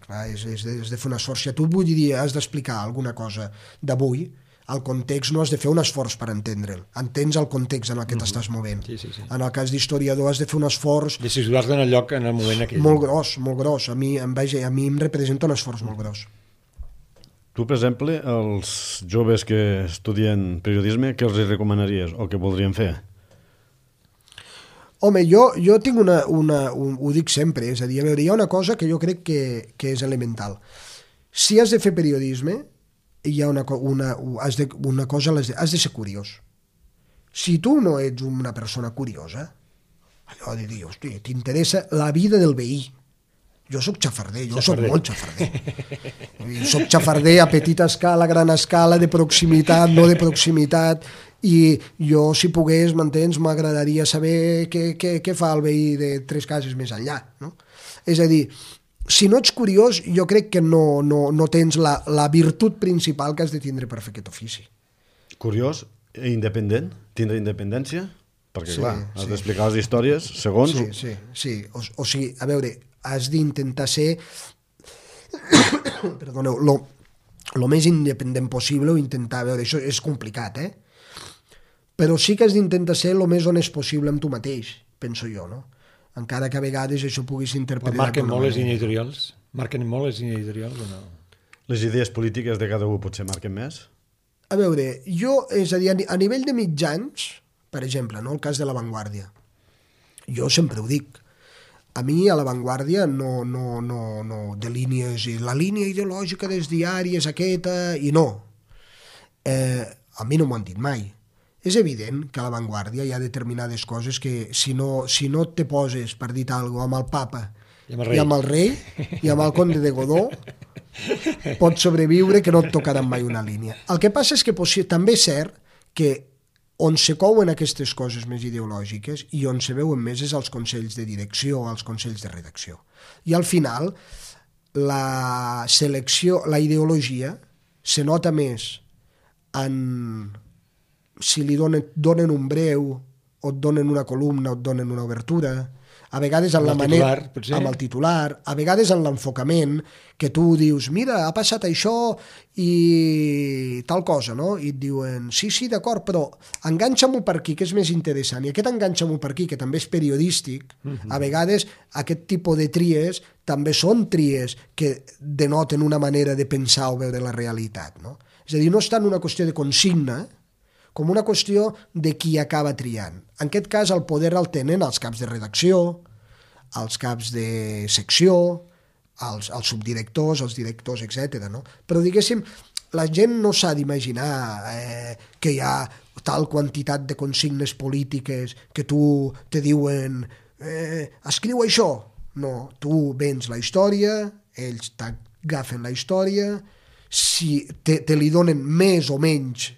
Clar, és de fer un esforç. Si a tu vull dir, has d'explicar alguna cosa d'avui, el context no has de fer un esforç per entendre'l. Entens el context en el que t'estàs movent. Sí. En el cas d'historiador has de fer un esforç... De situar-te en el lloc, en el moment aquell. Molt gros. A mi em representa un esforç molt gros. Tu, per exemple, als joves que estudien periodisme, què els recomanaries o què voldrien fer? Home, jo tinc ho dic sempre, és a dir, a veure, hi ha una cosa que jo crec que és elemental. Si has de fer periodisme, hi ha has de ser curiós. Si tu no ets una persona curiosa, allò de dir, hosti, t'interessa la vida del veí. Jo sóc xafarder, sóc molt xafarder. Sóc xafarder a petita escala, gran escala, de proximitat, no de proximitat, i jo, si pogués, m'entens, m'agradaria saber què fa el veí de 3 cases més enllà, no? És a dir, si no ets curiós, jo crec que no tens la virtut principal que has de tindre per fer aquest ofici. Curiós i independent? Tindre independència? Perquè, clar, has d'explicar les històries segons... Sí. O sigui, a veure, has d'intentar ser perdoneu, lo més independent possible, o intentar, a veure, això és complicat, però sí que has d'intentar ser el més honest possible amb tu mateix, penso jo, no? Encara que a vegades això puguis interpretar... Marquen molt les línies editorials? Marquen molt les línies editorials o no? Les idees polítiques de cada un potser marquen més? A veure, és a dir, a nivell de mitjans, per exemple, no? El cas de La Vanguardia, jo sempre ho dic, a mi a La Vanguardia no de línies, la línia ideològica dels diaris aquesta, i no. A mi no m'ho han dit mai. És evident que a La Vanguardia hi ha determinades coses que si no te poses, per dir alguna cosa, amb el papa i amb el rei i amb el conde de Godó, pots sobreviure que no et tocaran mai una línia. El que passa és que també és cert que on se couen aquestes coses més ideològiques i on se veuen més és als consells de direcció, als consells de redacció. I al final, la ideologia se nota més en... si li donen un breu, o et donen una columna, o et donen una obertura, a vegades en la manera... amb el titular, a vegades en l'enfocament, que tu dius, mira, ha passat això i tal cosa, no? I et diuen, sí, d'acord, però enganxa-m'ho per aquí, que és més interessant. I aquest enganxa-m'ho per aquí, que també és periodístic, a vegades aquest tipus de tries també són tries que denoten una manera de pensar o veure la realitat, no? És a dir, no és tant una qüestió de consigna, com una qüestió de qui acaba triant. En aquest cas, el poder el tenen els caps de redacció, els caps de secció, els subdirectors, els directors, etc. No? Però, diguéssim, la gent no s'ha d'imaginar que hi ha tal quantitat de consignes polítiques que tu te diuen escriu això. No, tu vens la història, ells t'agafen la història, si te li donen més o menys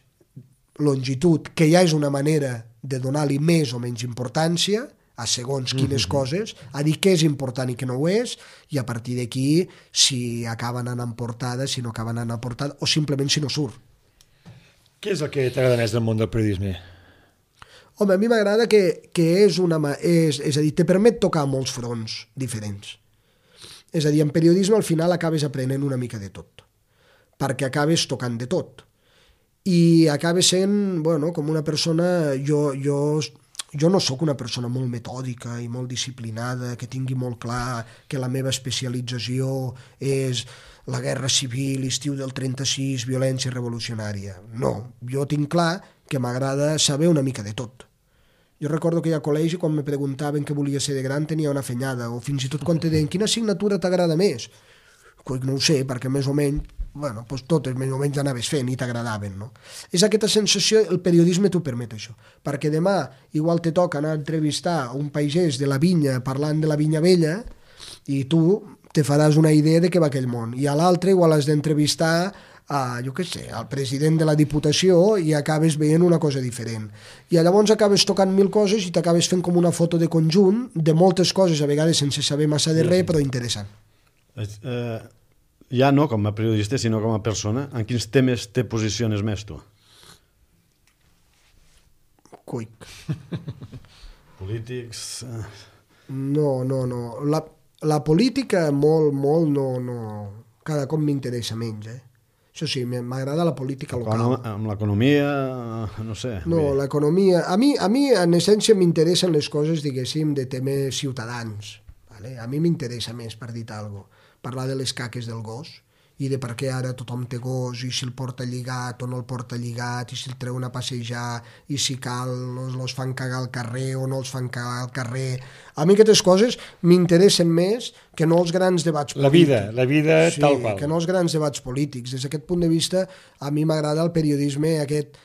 longitud, que ja és una manera de donar-li més o menys importància a segons quines coses, a dir què és important i què no ho és, i a partir d'aquí si acaben anant portada, si no acaben anant portada, o simplement si no surt. Què és el que t'agrada més del món del periodisme? Home, a mi m'agrada que és a dir, te permet tocar molts fronts diferents. És a dir, en periodisme al final acabes aprenent una mica de tot, perquè acabes tocant de tot. I acaba sent, bueno, com una persona... Jo no sóc una persona molt metòdica i molt disciplinada, que tingui molt clar que la meva especialització és la guerra civil, estiu del 36, violència revolucionària. No, jo tinc clar que m'agrada saber una mica de tot. Jo recordo que a col·legi, quan me preguntaven què volia ser de gran, tenia una afanyada, o fins i tot quan te deien quina assignatura t'agrada més? No ho sé, perquè més o menys totes més o menys anaves fent i t'agradaven, no? És aquesta sensació, el periodisme t'ho permet això, perquè demà igual te toca anar a entrevistar un pagès de la vinya parlant de la vinya vella i tu te faràs una idea de què va aquell món, i a l'altre igual has d'entrevistar al president de la Diputació i acabes veient una cosa diferent. I llavors acabes tocant 1000 coses i t'acabes fent com una foto de conjunt de moltes coses, a vegades sense saber massa de res, però interessant. Ja no com a periodista, sinó com a persona, en quins temes te posiciones més tu? Cuic. Polítics... No. La política molt, no. Cada cop m'interessa menys, Això sí, m'agrada la política local. Amb l'economia, no sé. No, l'economia... A mi, en essència, m'interessen les coses, diguéssim, de temes ciutadans. Vale? A mi m'interessa més, per dir alguna cosa, parlar de les caques del gos i de per què ara tothom té gos i si el porta lligat o no el porta lligat i si el treuen a passejar i si cal els fan cagar al carrer o no els fan cagar al carrer. A mi aquestes coses m'interessen més que no els grans debats polítics. La vida sí, tal qual. Que no els grans debats polítics. Des d'aquest punt de vista, a mi m'agrada el periodisme aquest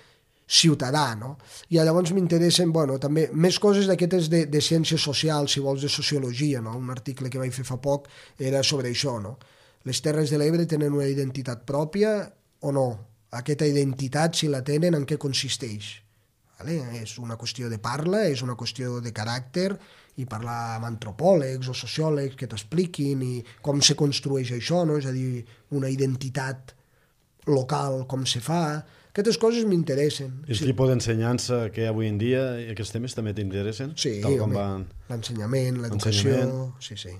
ciutadà, no? I llavors m'interessen, bueno, també més coses d'aquestes de ciències socials, si vols, de sociologia, no? Un article que vaig fer fa poc era sobre això, no? Les Terres de l'Ebre tenen una identitat pròpia o no? Aquesta identitat, si la tenen, en què consisteix? Vale? És una qüestió de parla, és una qüestió de caràcter, i parlar amb antropòlegs o sociòlegs que t'expliquin i com se construeix això, no? És a dir, una identitat local, com se fa. Aquestes coses m'interessen. I el tipus d'ensenyança que hi ha avui en dia i aquests temes també t'interessen? Sí, home, l'ensenyament, l'educació... Sí.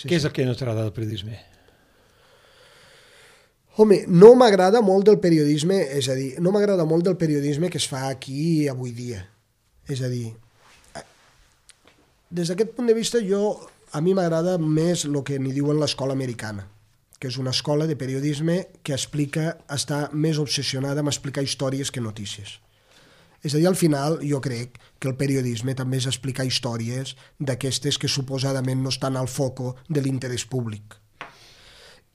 Què és el que no t'agrada del periodisme? Home, no m'agrada molt del periodisme, és a dir, no m'agrada molt del periodisme que es fa aquí avui dia. És a dir, des d'aquest punt de vista a mi m'agrada més el que n'hi diuen l'escola americana, que és una escola de periodisme que està més obsessionada amb explicar històries que notícies. És a dir, al final jo crec que el periodisme també és explicar històries d'aquestes que suposadament no estan al foco de l'interès públic.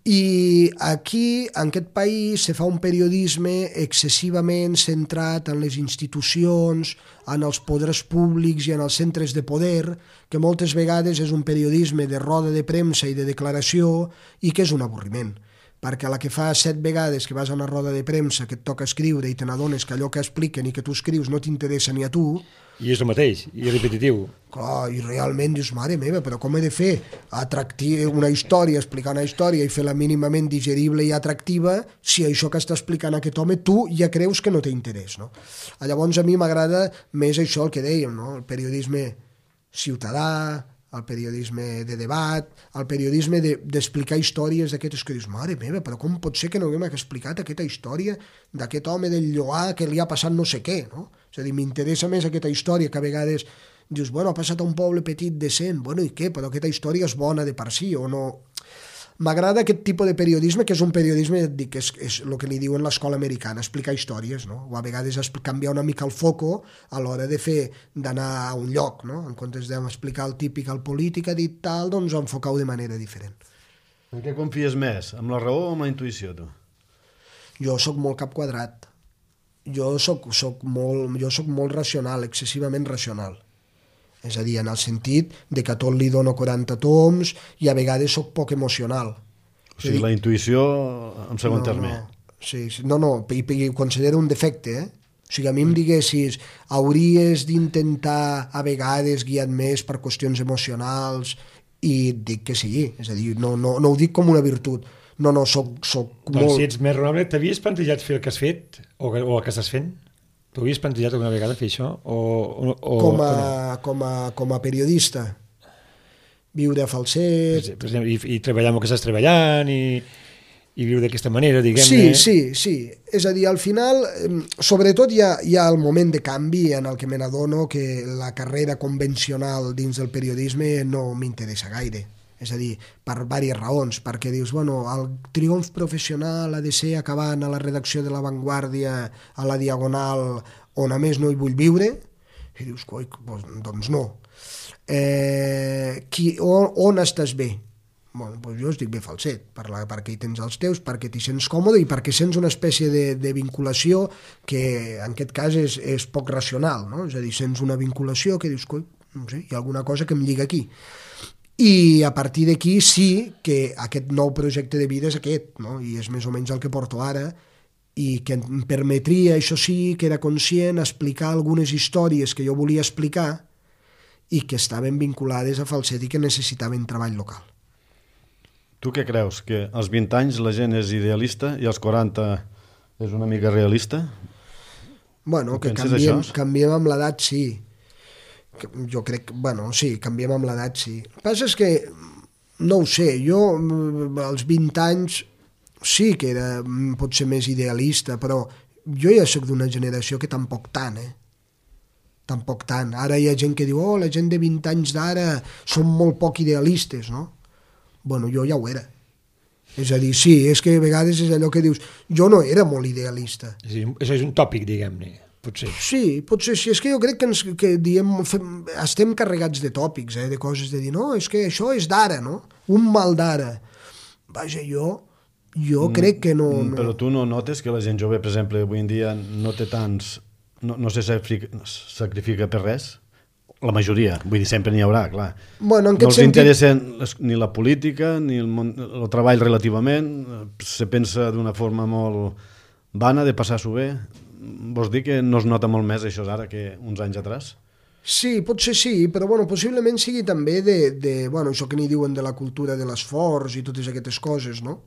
I aquí, en aquest país, se fa un periodisme excessivament centrat en les institucions, en els poders públics i en els centres de poder, que moltes vegades és un periodisme de roda de premsa i de declaració i que és un avorriment. Perquè a la que fa 7 vegades que vas a una roda de premsa que et toca escriure i te n'adones que allò que expliquen i que tu escrius no t'interessa ni a tu... I és el mateix, i és repetitiu. Clar, i realment dius, mare meva, però com he de fer una història, explicar una història i fer-la mínimament digerible i atractiva si això que està explicant aquest home tu ja creus que no té interès, no? Llavors a mi m'agrada més això el que dèiem, no? El periodisme ciutadà, el periodisme de debat, el periodisme d'explicar històries d'aquestes que dius, mare meva, però com pot ser que no haguem explicat aquesta història d'aquest home del Lloar que li ha passat no sé què, no? És a dir, m'interessa més aquesta història que a vegades dius, bueno, ha passat a un poble petit decent, bueno, i què? Però aquesta història és bona de per si o no... M'agrada aquest tipus de periodisme, que és un periodisme, dic, és el que li diuen l'escola americana, explicar històries, no? O a vegades canviar una mica el foco a l'hora d'anar a un lloc, no? En comptes d'explicar el típic al polític, ha dit tal, doncs enfocar-ho de manera diferent. En què confies més? Amb la raó o amb la intuïció, tu? Jo sóc molt cap quadrat. Jo sóc molt racional, excessivament racional. És a dir, en el sentit de que a tot li dono 40 toms i a vegades sóc poc emocional. O sigui, la intuïció en segon terme. I ho considero un defecte, eh? O sigui, a mi em diguessis, hauries d'intentar a vegades guiar més per qüestions emocionals i dic que sí, és a dir, no ho dic com una virtut. No, soc molt... Doncs si ets més raonable, t'havies plantejat fer el que has fet o el que estàs fent? T'ho havies plantejat alguna vegada fer això? Com a periodista, viure a Falset... Per exemple, i treballar amb el que estàs treballant i viure d'aquesta manera, diguem-ne... Sí. És a dir, al final, sobretot hi ha el moment de canvi en el que me n'adono que la carrera convencional dins del periodisme no m'interessa gaire. És a dir, per diverses raons, perquè dius, bueno, el triomf professional ha de ser acabant a la redacció de La Vanguardia, a la Diagonal, on a més no hi vull viure, i dius, coi, doncs no. On estàs bé? Bueno, doncs jo estic bé Falset, perquè hi tens els teus, perquè t'hi sents còmode i perquè sents una espècie de vinculació que en aquest cas és poc racional, no? És a dir, sents una vinculació que dius, coi, no sé, hi ha alguna cosa que em lliga aquí. I a partir d'aquí sí que aquest nou projecte de vida és aquest, no? I és més o menys el que porto ara, i que em permetria, això sí, que era conscient, explicar algunes històries que jo volia explicar i que estaven vinculades a Falset i que necessitaven treball local. Tu què creus? Que als 20 anys la gent és idealista i als 40 és una mica realista? Bueno, que canviem amb l'edat, sí. Jo crec, sí, canviem amb l'edat, sí. El que passa és que, no ho sé, jo als 20 anys sí que era potser més idealista, però jo ja soc d'una generació que tampoc tant, tampoc tant. Ara hi ha gent que diu, la gent de 20 anys d'ara són molt poc idealistes, no? Bueno, jo ja ho era. És a dir, sí, és que a vegades és allò que dius, jo no era molt idealista. Això és un tòpic, diguem-ne, potser. Sí, potser sí. És que jo crec que diem, estem carregats de tòpics, de coses de dir, no, és que això és d'ara, no? Un mal d'ara. Vaja, jo crec que no... Però tu no notes que la gent jove, per exemple, avui en dia no té tants... no se sacrifica per res? La majoria, vull dir, sempre n'hi haurà, clar. Bueno, en no els sentit... interessa ni la política ni el treball relativament, se pensa d'una forma molt vana de passar-s'ho bé. Vols dir que no es nota molt més això ara que uns anys atrás? Sí, potser sí, però bueno, possiblement sigui també bueno, això que n'hi diuen de la cultura de l'esforç i totes aquestes coses, no?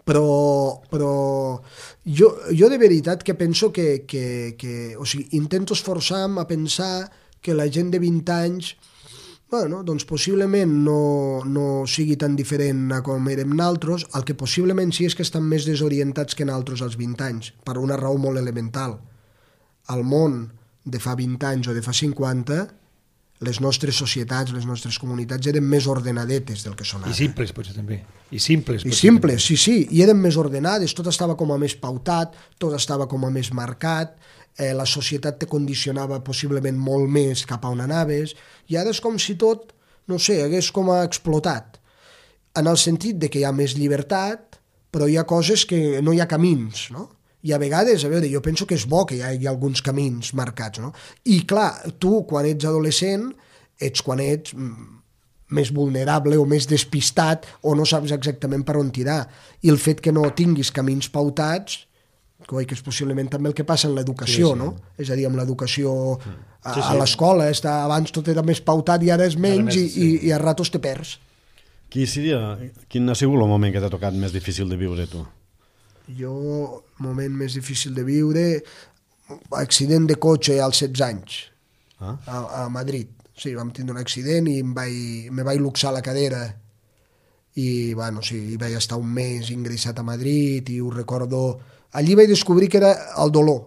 Però jo de veritat que penso que o sigui, intento esforçar-me a pensar que la gent de 20 anys, bueno, doncs possiblement no sigui tan diferent a com érem naltros, el que possiblement sí és que estan més desorientats que naltros als 20 anys, per una raó molt elemental. Al món de fa 20 anys o de fa 50, les nostres societats, les nostres comunitats eren més ordenadetes del que són ara. I simples, potser, també. I simples, sí, i eren més ordenades, tot estava com a més pautat, tot estava com a més marcat, la societat te condicionava possiblement molt més cap a on anaves, i ara és com si tot, no sé, hagués com a explotat, en el sentit de que hi ha més llibertat, però hi ha coses que no hi ha camins, no? I a vegades, a veure, jo penso que és bo que hi hagi alguns camins marcats, no? I clar, tu, quan ets adolescent, ets quan ets més vulnerable o més despistat o no saps exactament per on tirar. I el fet que no tinguis camins pautats, que és possiblement també el que passa en l'educació, sí. No? És a dir, amb l'educació a l'escola, abans tot era més pautat i ara és menys i a ratos te perds. Quin ha sigut el moment que t'ha tocat més difícil de viure, tu? Jo, moment més difícil de viure, accident de cotxe als 16 anys, a Madrid. Sí, vam tindre un accident i me vaig luxar la cadera i, bueno, sí, vaig estar un mes ingressat a Madrid i ho recordo. Allí vaig descobrir que era el dolor,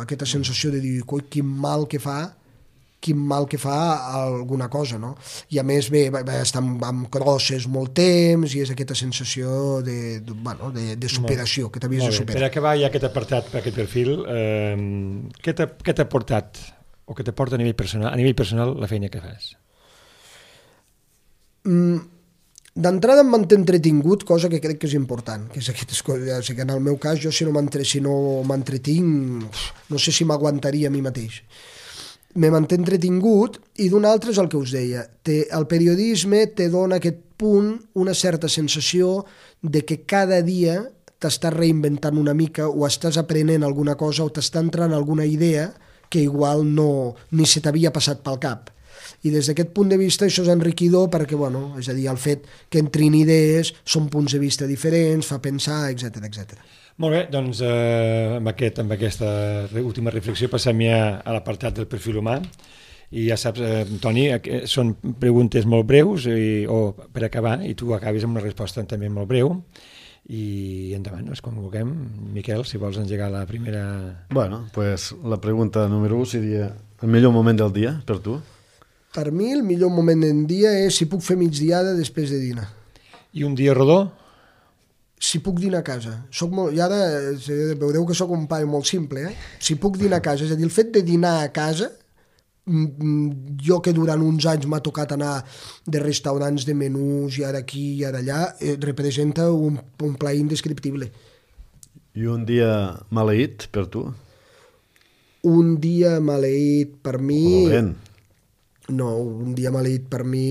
aquesta sensació de dir, quin mal que fa alguna cosa, no? I a més, bé, vaig estar amb crosses molt temps i és aquesta sensació de superació, que t'havies de superar. Per acabar ja aquest apartat, per aquest perfil, què t'ha portat o què t'aporta a nivell personal la feina que fas? D'entrada em manté entretingut, cosa que crec que és important, que és aquestes coses. O sigui, en el meu cas, jo si no m'entretinc, no sé si m'aguantaria a mi mateix. Me manté entretingut i d'un altre és el que us deia. El periodisme te dona aquest punt, una certa sensació de que cada dia t'estàs reinventant una mica o estàs aprenent alguna cosa o t'està entrant alguna idea que igual ni se t'havia passat pel cap. I des d'aquest punt de vista això és enriquidor perquè, bueno, és a dir, el fet que entrin idees, són punts de vista diferents, fa pensar, etc. Molt bé, doncs amb aquesta última reflexió passem ja a l'apartat del perfil humà i ja saps, Toni, són preguntes molt breus o per acabar i tu acabis amb una resposta també molt breu i endavant, és com vulguem. Miquel, si vols engegar la primera... Bueno, pues la pregunta número 1 seria el millor moment del dia per tu? Per mi el millor moment del dia és si puc fer migdiada després de dinar. I un dia rodó? Si puc dinar a casa. I ara veureu que sóc un paio molt simple, Si puc dinar a casa, és a dir, el fet de dinar a casa, jo que durant uns anys m'ha tocat anar de restaurants de menús i ara aquí i ara allà, representa un plaer indescriptible. I un dia maleït per tu? Un dia maleït per mi... O dolent? No, un dia maleït per mi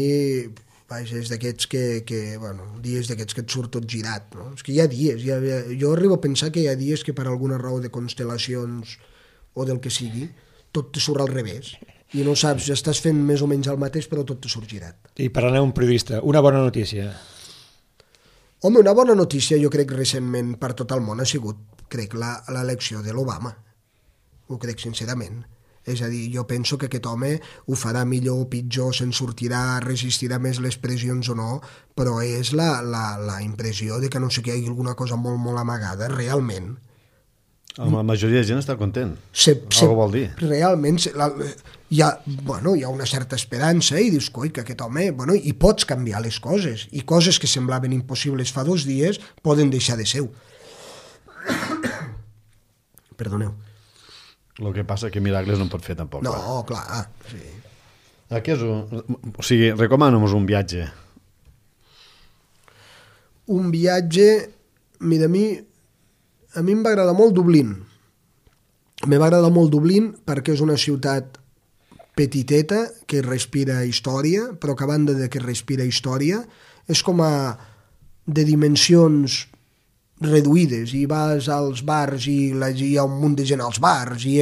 és d'aquests dies d'aquests que et surt tot girat, no? És que hi ha dies, jo arribo a pensar que hi ha dies que per alguna raó de constel·lacions o del que sigui, tot te surt al revés i no saps, ja estàs fent més o menys el mateix però tot te surt girat. I parlant d'un periodista, una bona notícia? Home, una bona notícia jo crec recentment per tot el món ha sigut, crec, l'elecció de l'Obama. Ho crec sincerament. És a dir, jo penso que aquest home ho farà millor o pitjor, se'n sortirà, resistirà més les pressions o no, però és la impressió de que no sé què hi hagi alguna cosa molt, molt amagada, realment. La majoria de gent està content. Algo vol dir. Realment hi ha una certa esperança i dius, coi, que aquest home... I pots canviar les coses, i coses que semblaven impossibles fa 2 dies poden deixar de ser. Perdoneu. El que passa que miracles no en pot fer tampoc. No, clar. Sí. O sigui, recomana-nos un viatge. Un viatge... Mira, a mi em va agradar molt Dublín. Me va agradar molt Dublín perquè és una ciutat petiteta que respira història, però que a banda de que respira història és com de dimensions reduïdes, i vas als bars i hi ha un munt de gent als bars i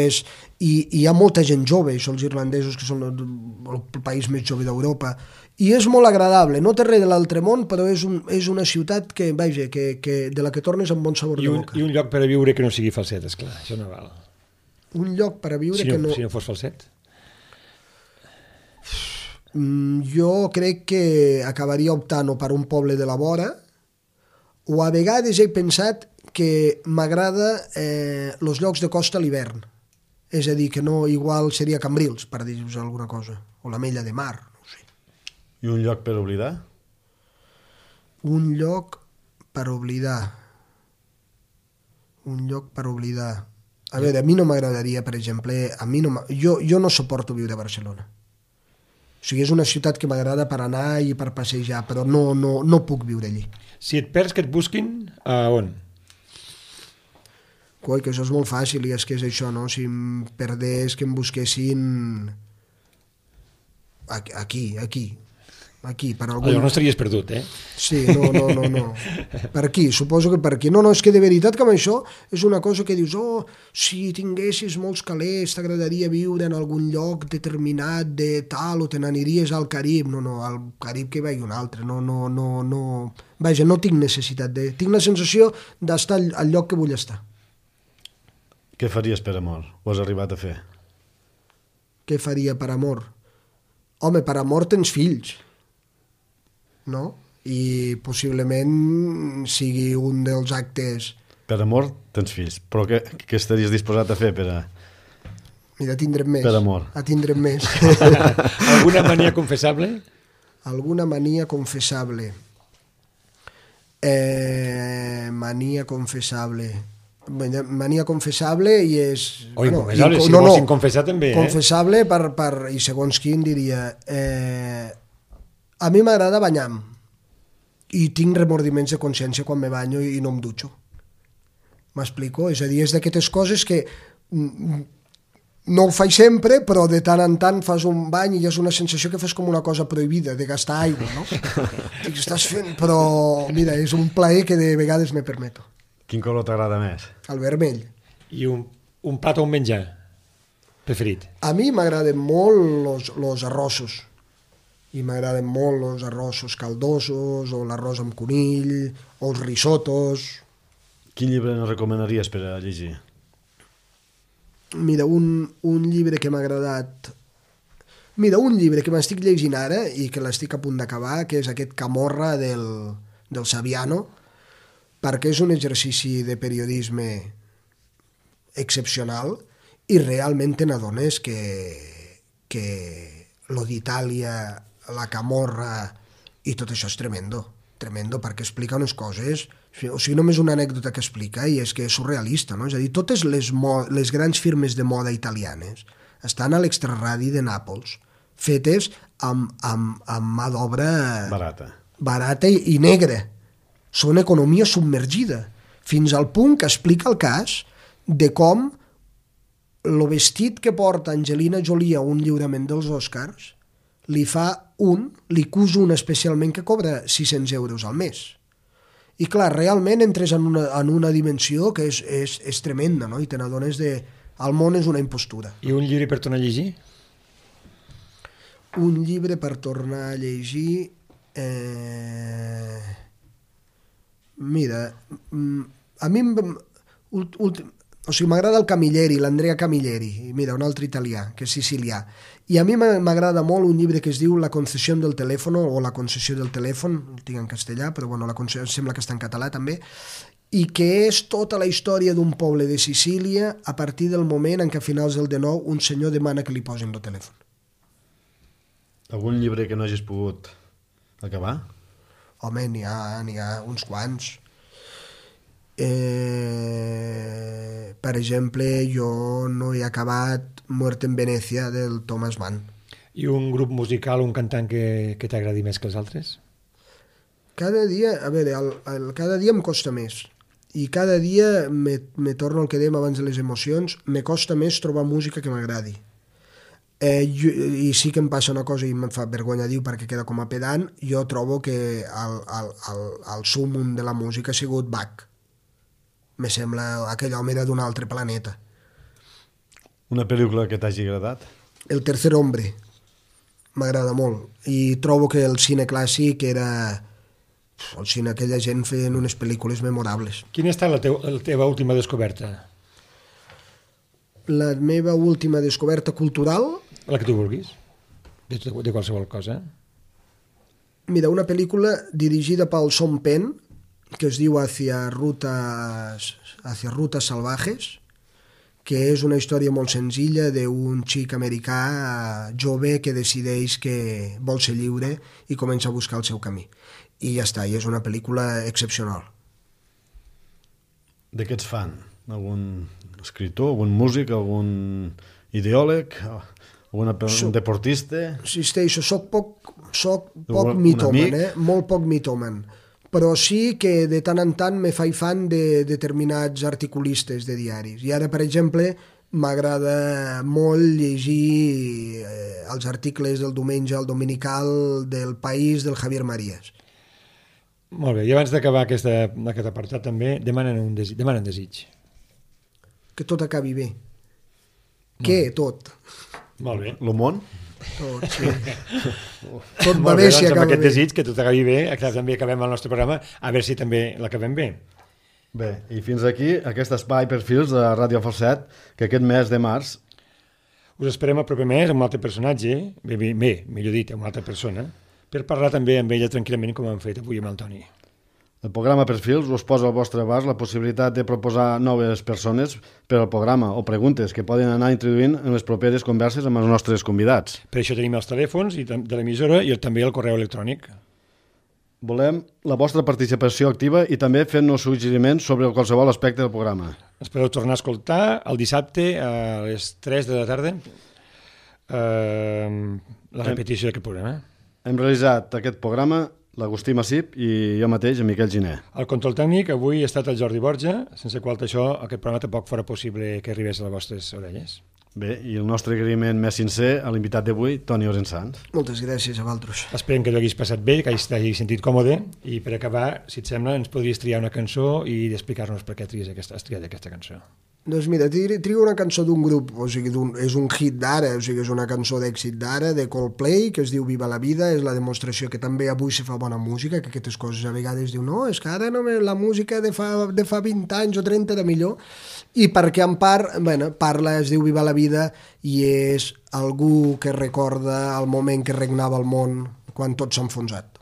hi ha molta gent jove, són els irlandesos que són el país més jove d'Europa, i és molt agradable, no té res de l'altre món, però és una ciutat que de la que tornes amb bon sabor de boca. I un lloc per a viure que no sigui falset, esclar, això no val. Un lloc per a viure que no... Si no fos falset? Jo crec que acabaria optant o per un poble de la vora, o a vegades he pensat que m'agrada els llocs de costa a l'hivern. És a dir, que no igual seria Cambrils, per dir-vos alguna cosa, o l'Ametlla de Mar, no ho sé. I un lloc per oblidar? Un lloc per oblidar. Un lloc per oblidar. A veure, a mi no m'agradaria, per exemple, jo no suporto viure a Barcelona. O sigui, és una ciutat que m'agrada per anar i per passejar, però no puc viure allí. Si et perds, que et busquin, a on? Coi, que això és molt fàcil, i és que és això, no? Si em perdés, que em busquessin aquí, per algun... No estaries perdut, Sí, no. Per aquí, suposo que per aquí. No, és que de veritat que amb això és una cosa que dius, si tinguessis molts calés, t'agradaria viure en algun lloc determinat de tal, o te n'aniries al Carib. No, al Carib que hi vagi un altre. No. Vaja, no tinc necessitat de... Tinc la sensació d'estar al lloc que vull estar. Què faries per amor? Ho has arribat a fer? Què faria per amor? Home, per amor tens fills, no? I possiblement sigui un dels actes... Per amor tens fills, però què estaries disposat a fer per a... Mira, tindrem més. Per amor. Tindrem més. Alguna mania confessable? Alguna mania confessable. Mania confessable i és... Inconfessable, si vols inconfessar també. Confessable i segons quin diria... A mi m'agrada banyar-me i tinc remordiments de consciència quan me banyo i no em dutxo. M'explico? És a dir, és d'aquestes coses que no ho faig sempre, però de tant en tant fas un bany i és una sensació que fas com una cosa prohibida, de gastar aigua, no? Estàs fent... Però, mira, és un plaer que de vegades me permeto. Quin color t'agrada més? El vermell. I un plat o un menjar preferit? A mi m'agraden molt els arrossos. I m'agraden molt els arrossos caldosos, o l'arròs amb conill, o els risotos. Quin llibre ens recomanaries per a llegir? Mira, un llibre que m'ha agradat... Mira, un llibre que m'estic llegint ara i que l'estic a punt d'acabar, que és aquest Camorra del Saviano, perquè és un exercici de periodisme excepcional i realment te n'adones que lo d'Itàlia, la Camorra i tot això és tremendo, perquè explica unes coses, o sigui, només una anècdota que explica i és que és surrealista, no? És a dir, totes les grans firmes de moda italianes estan a l'extraradi de Nàpols, fetes amb mà d'obra barata i negra. Són economia submergida, fins al punt que explica el cas de com el vestit que porta Angelina Jolie a un lliurament dels Oscars li cus un especialment que cobra 600 euros al mes. I clar, realment entres en una dimensió que és tremenda, no? I te n'adones el món és una impostura. I un llibre per tornar a llegir? Un llibre per tornar a llegir... Mira, a mi O sigui, m'agrada el Camilleri, l'Andrea Camilleri, mira, un altre italià, que és sicilià. I a mi m'agrada molt un llibre que es diu La concessió del telèfon, o La concessió del telèfon, el tinc en castellà, però bueno, sembla que està en català també, i que és tota la història d'un poble de Sicília a partir del moment en què a finals del 19 un senyor demana que li posin el telèfon. Algun llibre que no hagis pogut acabar? Home, n'hi ha uns quants. Per exemple, jo no he acabat Muerte en Venècia del Thomas Mann. I un grup musical, un cantant que t'agradi més que els altres? Cada dia, a veure, cada dia em costa més. I cada dia me torno al que dèiem abans de les emocions, me costa més trobar música que m'agradi. I sí que em passa una cosa i em fa vergonya dir perquè queda com a pedant, jo trobo que el súmmum de la música ha sigut Bach. Me sembla aquell home era d'un altre planeta. Una pel·lícula que t'hagi agradat? El tercer hombre m'agrada molt i trobo que el cine clàssic era el cine, aquella gent feien unes pel·lícules memorables. Quina ha estat la teva última descoberta? La meva última descoberta cultural? La que tu vulguis, de qualsevol cosa. Mira, una pel·lícula dirigida pel Sean Penn que es diu Hacia rutas salvajes, que és una història molt senzilla d'un xic americà jove que decideix que vol ser lliure i comença a buscar el seu camí. I ja està, i és una pel·lícula excepcional. De què ets fan? Algun escriptor, algun músic, algun ideòleg, un deportista? Insisteixo, soc poc mitòman, molt poc mitòman. Però sí que de tant en tant me faig fan de determinats articulistes de diaris. I ara, per exemple, m'agrada molt llegir els articles del diumenge al dominical del País del Javier Marías. Molt bé, i abans d'acabar aquest apartat també demanen desig. Que tot acabi bé. Què? Tot. Molt bé. Lo món? Tot, sí. Tot va bé si acaba bé. Amb aquest desig, que tot acabi bé, també acabem el nostre programa, a veure si també l'acabem bé. Bé, i fins aquí aquest espai Perfils de Ràdio Falset, que aquest mes de març... Us esperem el proper mes amb un altre personatge, millor dit, amb una altra persona, per parlar també amb ella tranquil·lament com hem fet avui amb el Toni. El programa Perfils us posa al vostre abast la possibilitat de proposar noves persones per al programa o preguntes que poden anar introduint en les properes converses amb els nostres convidats. Per això tenim els telèfons de l'emissora i també el correu electrònic. Volem la vostra participació activa i també fent-nos suggeriments sobre qualsevol aspecte del programa. Ens podeu tornar a escoltar el dissabte a les 3 de la tarda la repetició d'aquest programa. Hem realitzat aquest programa l'Agustí Massip i jo mateix, en Miquel Giner. El control tècnic avui ha estat el Jordi Borja, sense qual això aquest programa tampoc fora possible que arribés a les vostres orelles. Bé, i el nostre agraïment més sincer a l'invitat d'avui, Toni Orensans. Moltes gràcies a vosaltres. Esperem que t'haguis passat bé, que t'hagis sentit còmode, i per acabar, si et sembla, ens podries triar una cançó i explicar-nos per què has triat aquesta cançó. Doncs mira, trio una cançó d'un grup, o sigui, és un hit d'ara, o sigui, és una cançó d'èxit d'ara, de Coldplay, que es diu Viva la vida, és la demostració que també avui se fa bona música, que aquestes coses a vegades diu, no, és que ara no, la música de fa 20 anys o 30 era millor, i perquè en part, parla, es diu Viva la vida, i és algú que recorda el moment que regnava el món quan tot s'ha enfonsat.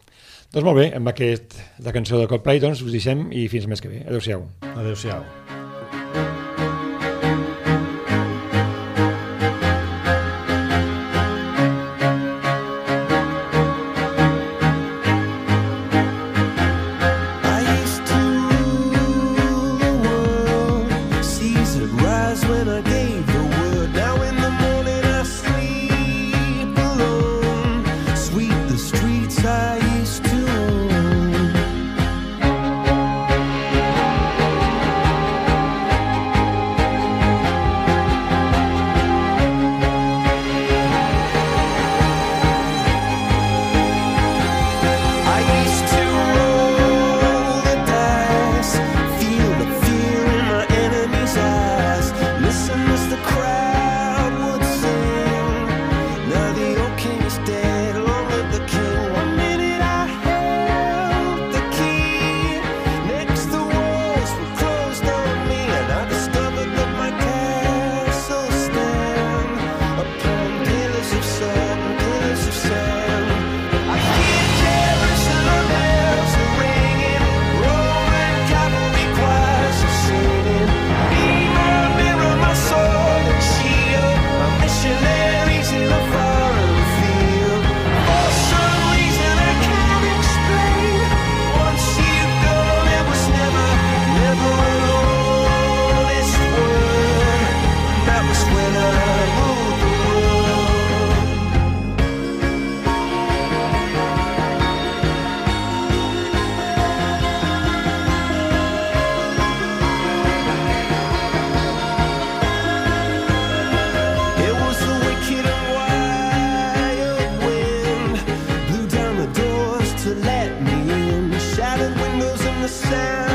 Doncs molt bé, amb la cançó de Coldplay, doncs us deixem i fins més que bé. Adéu-siau. Adéu-siau. to let me in. Shattered windows and the sound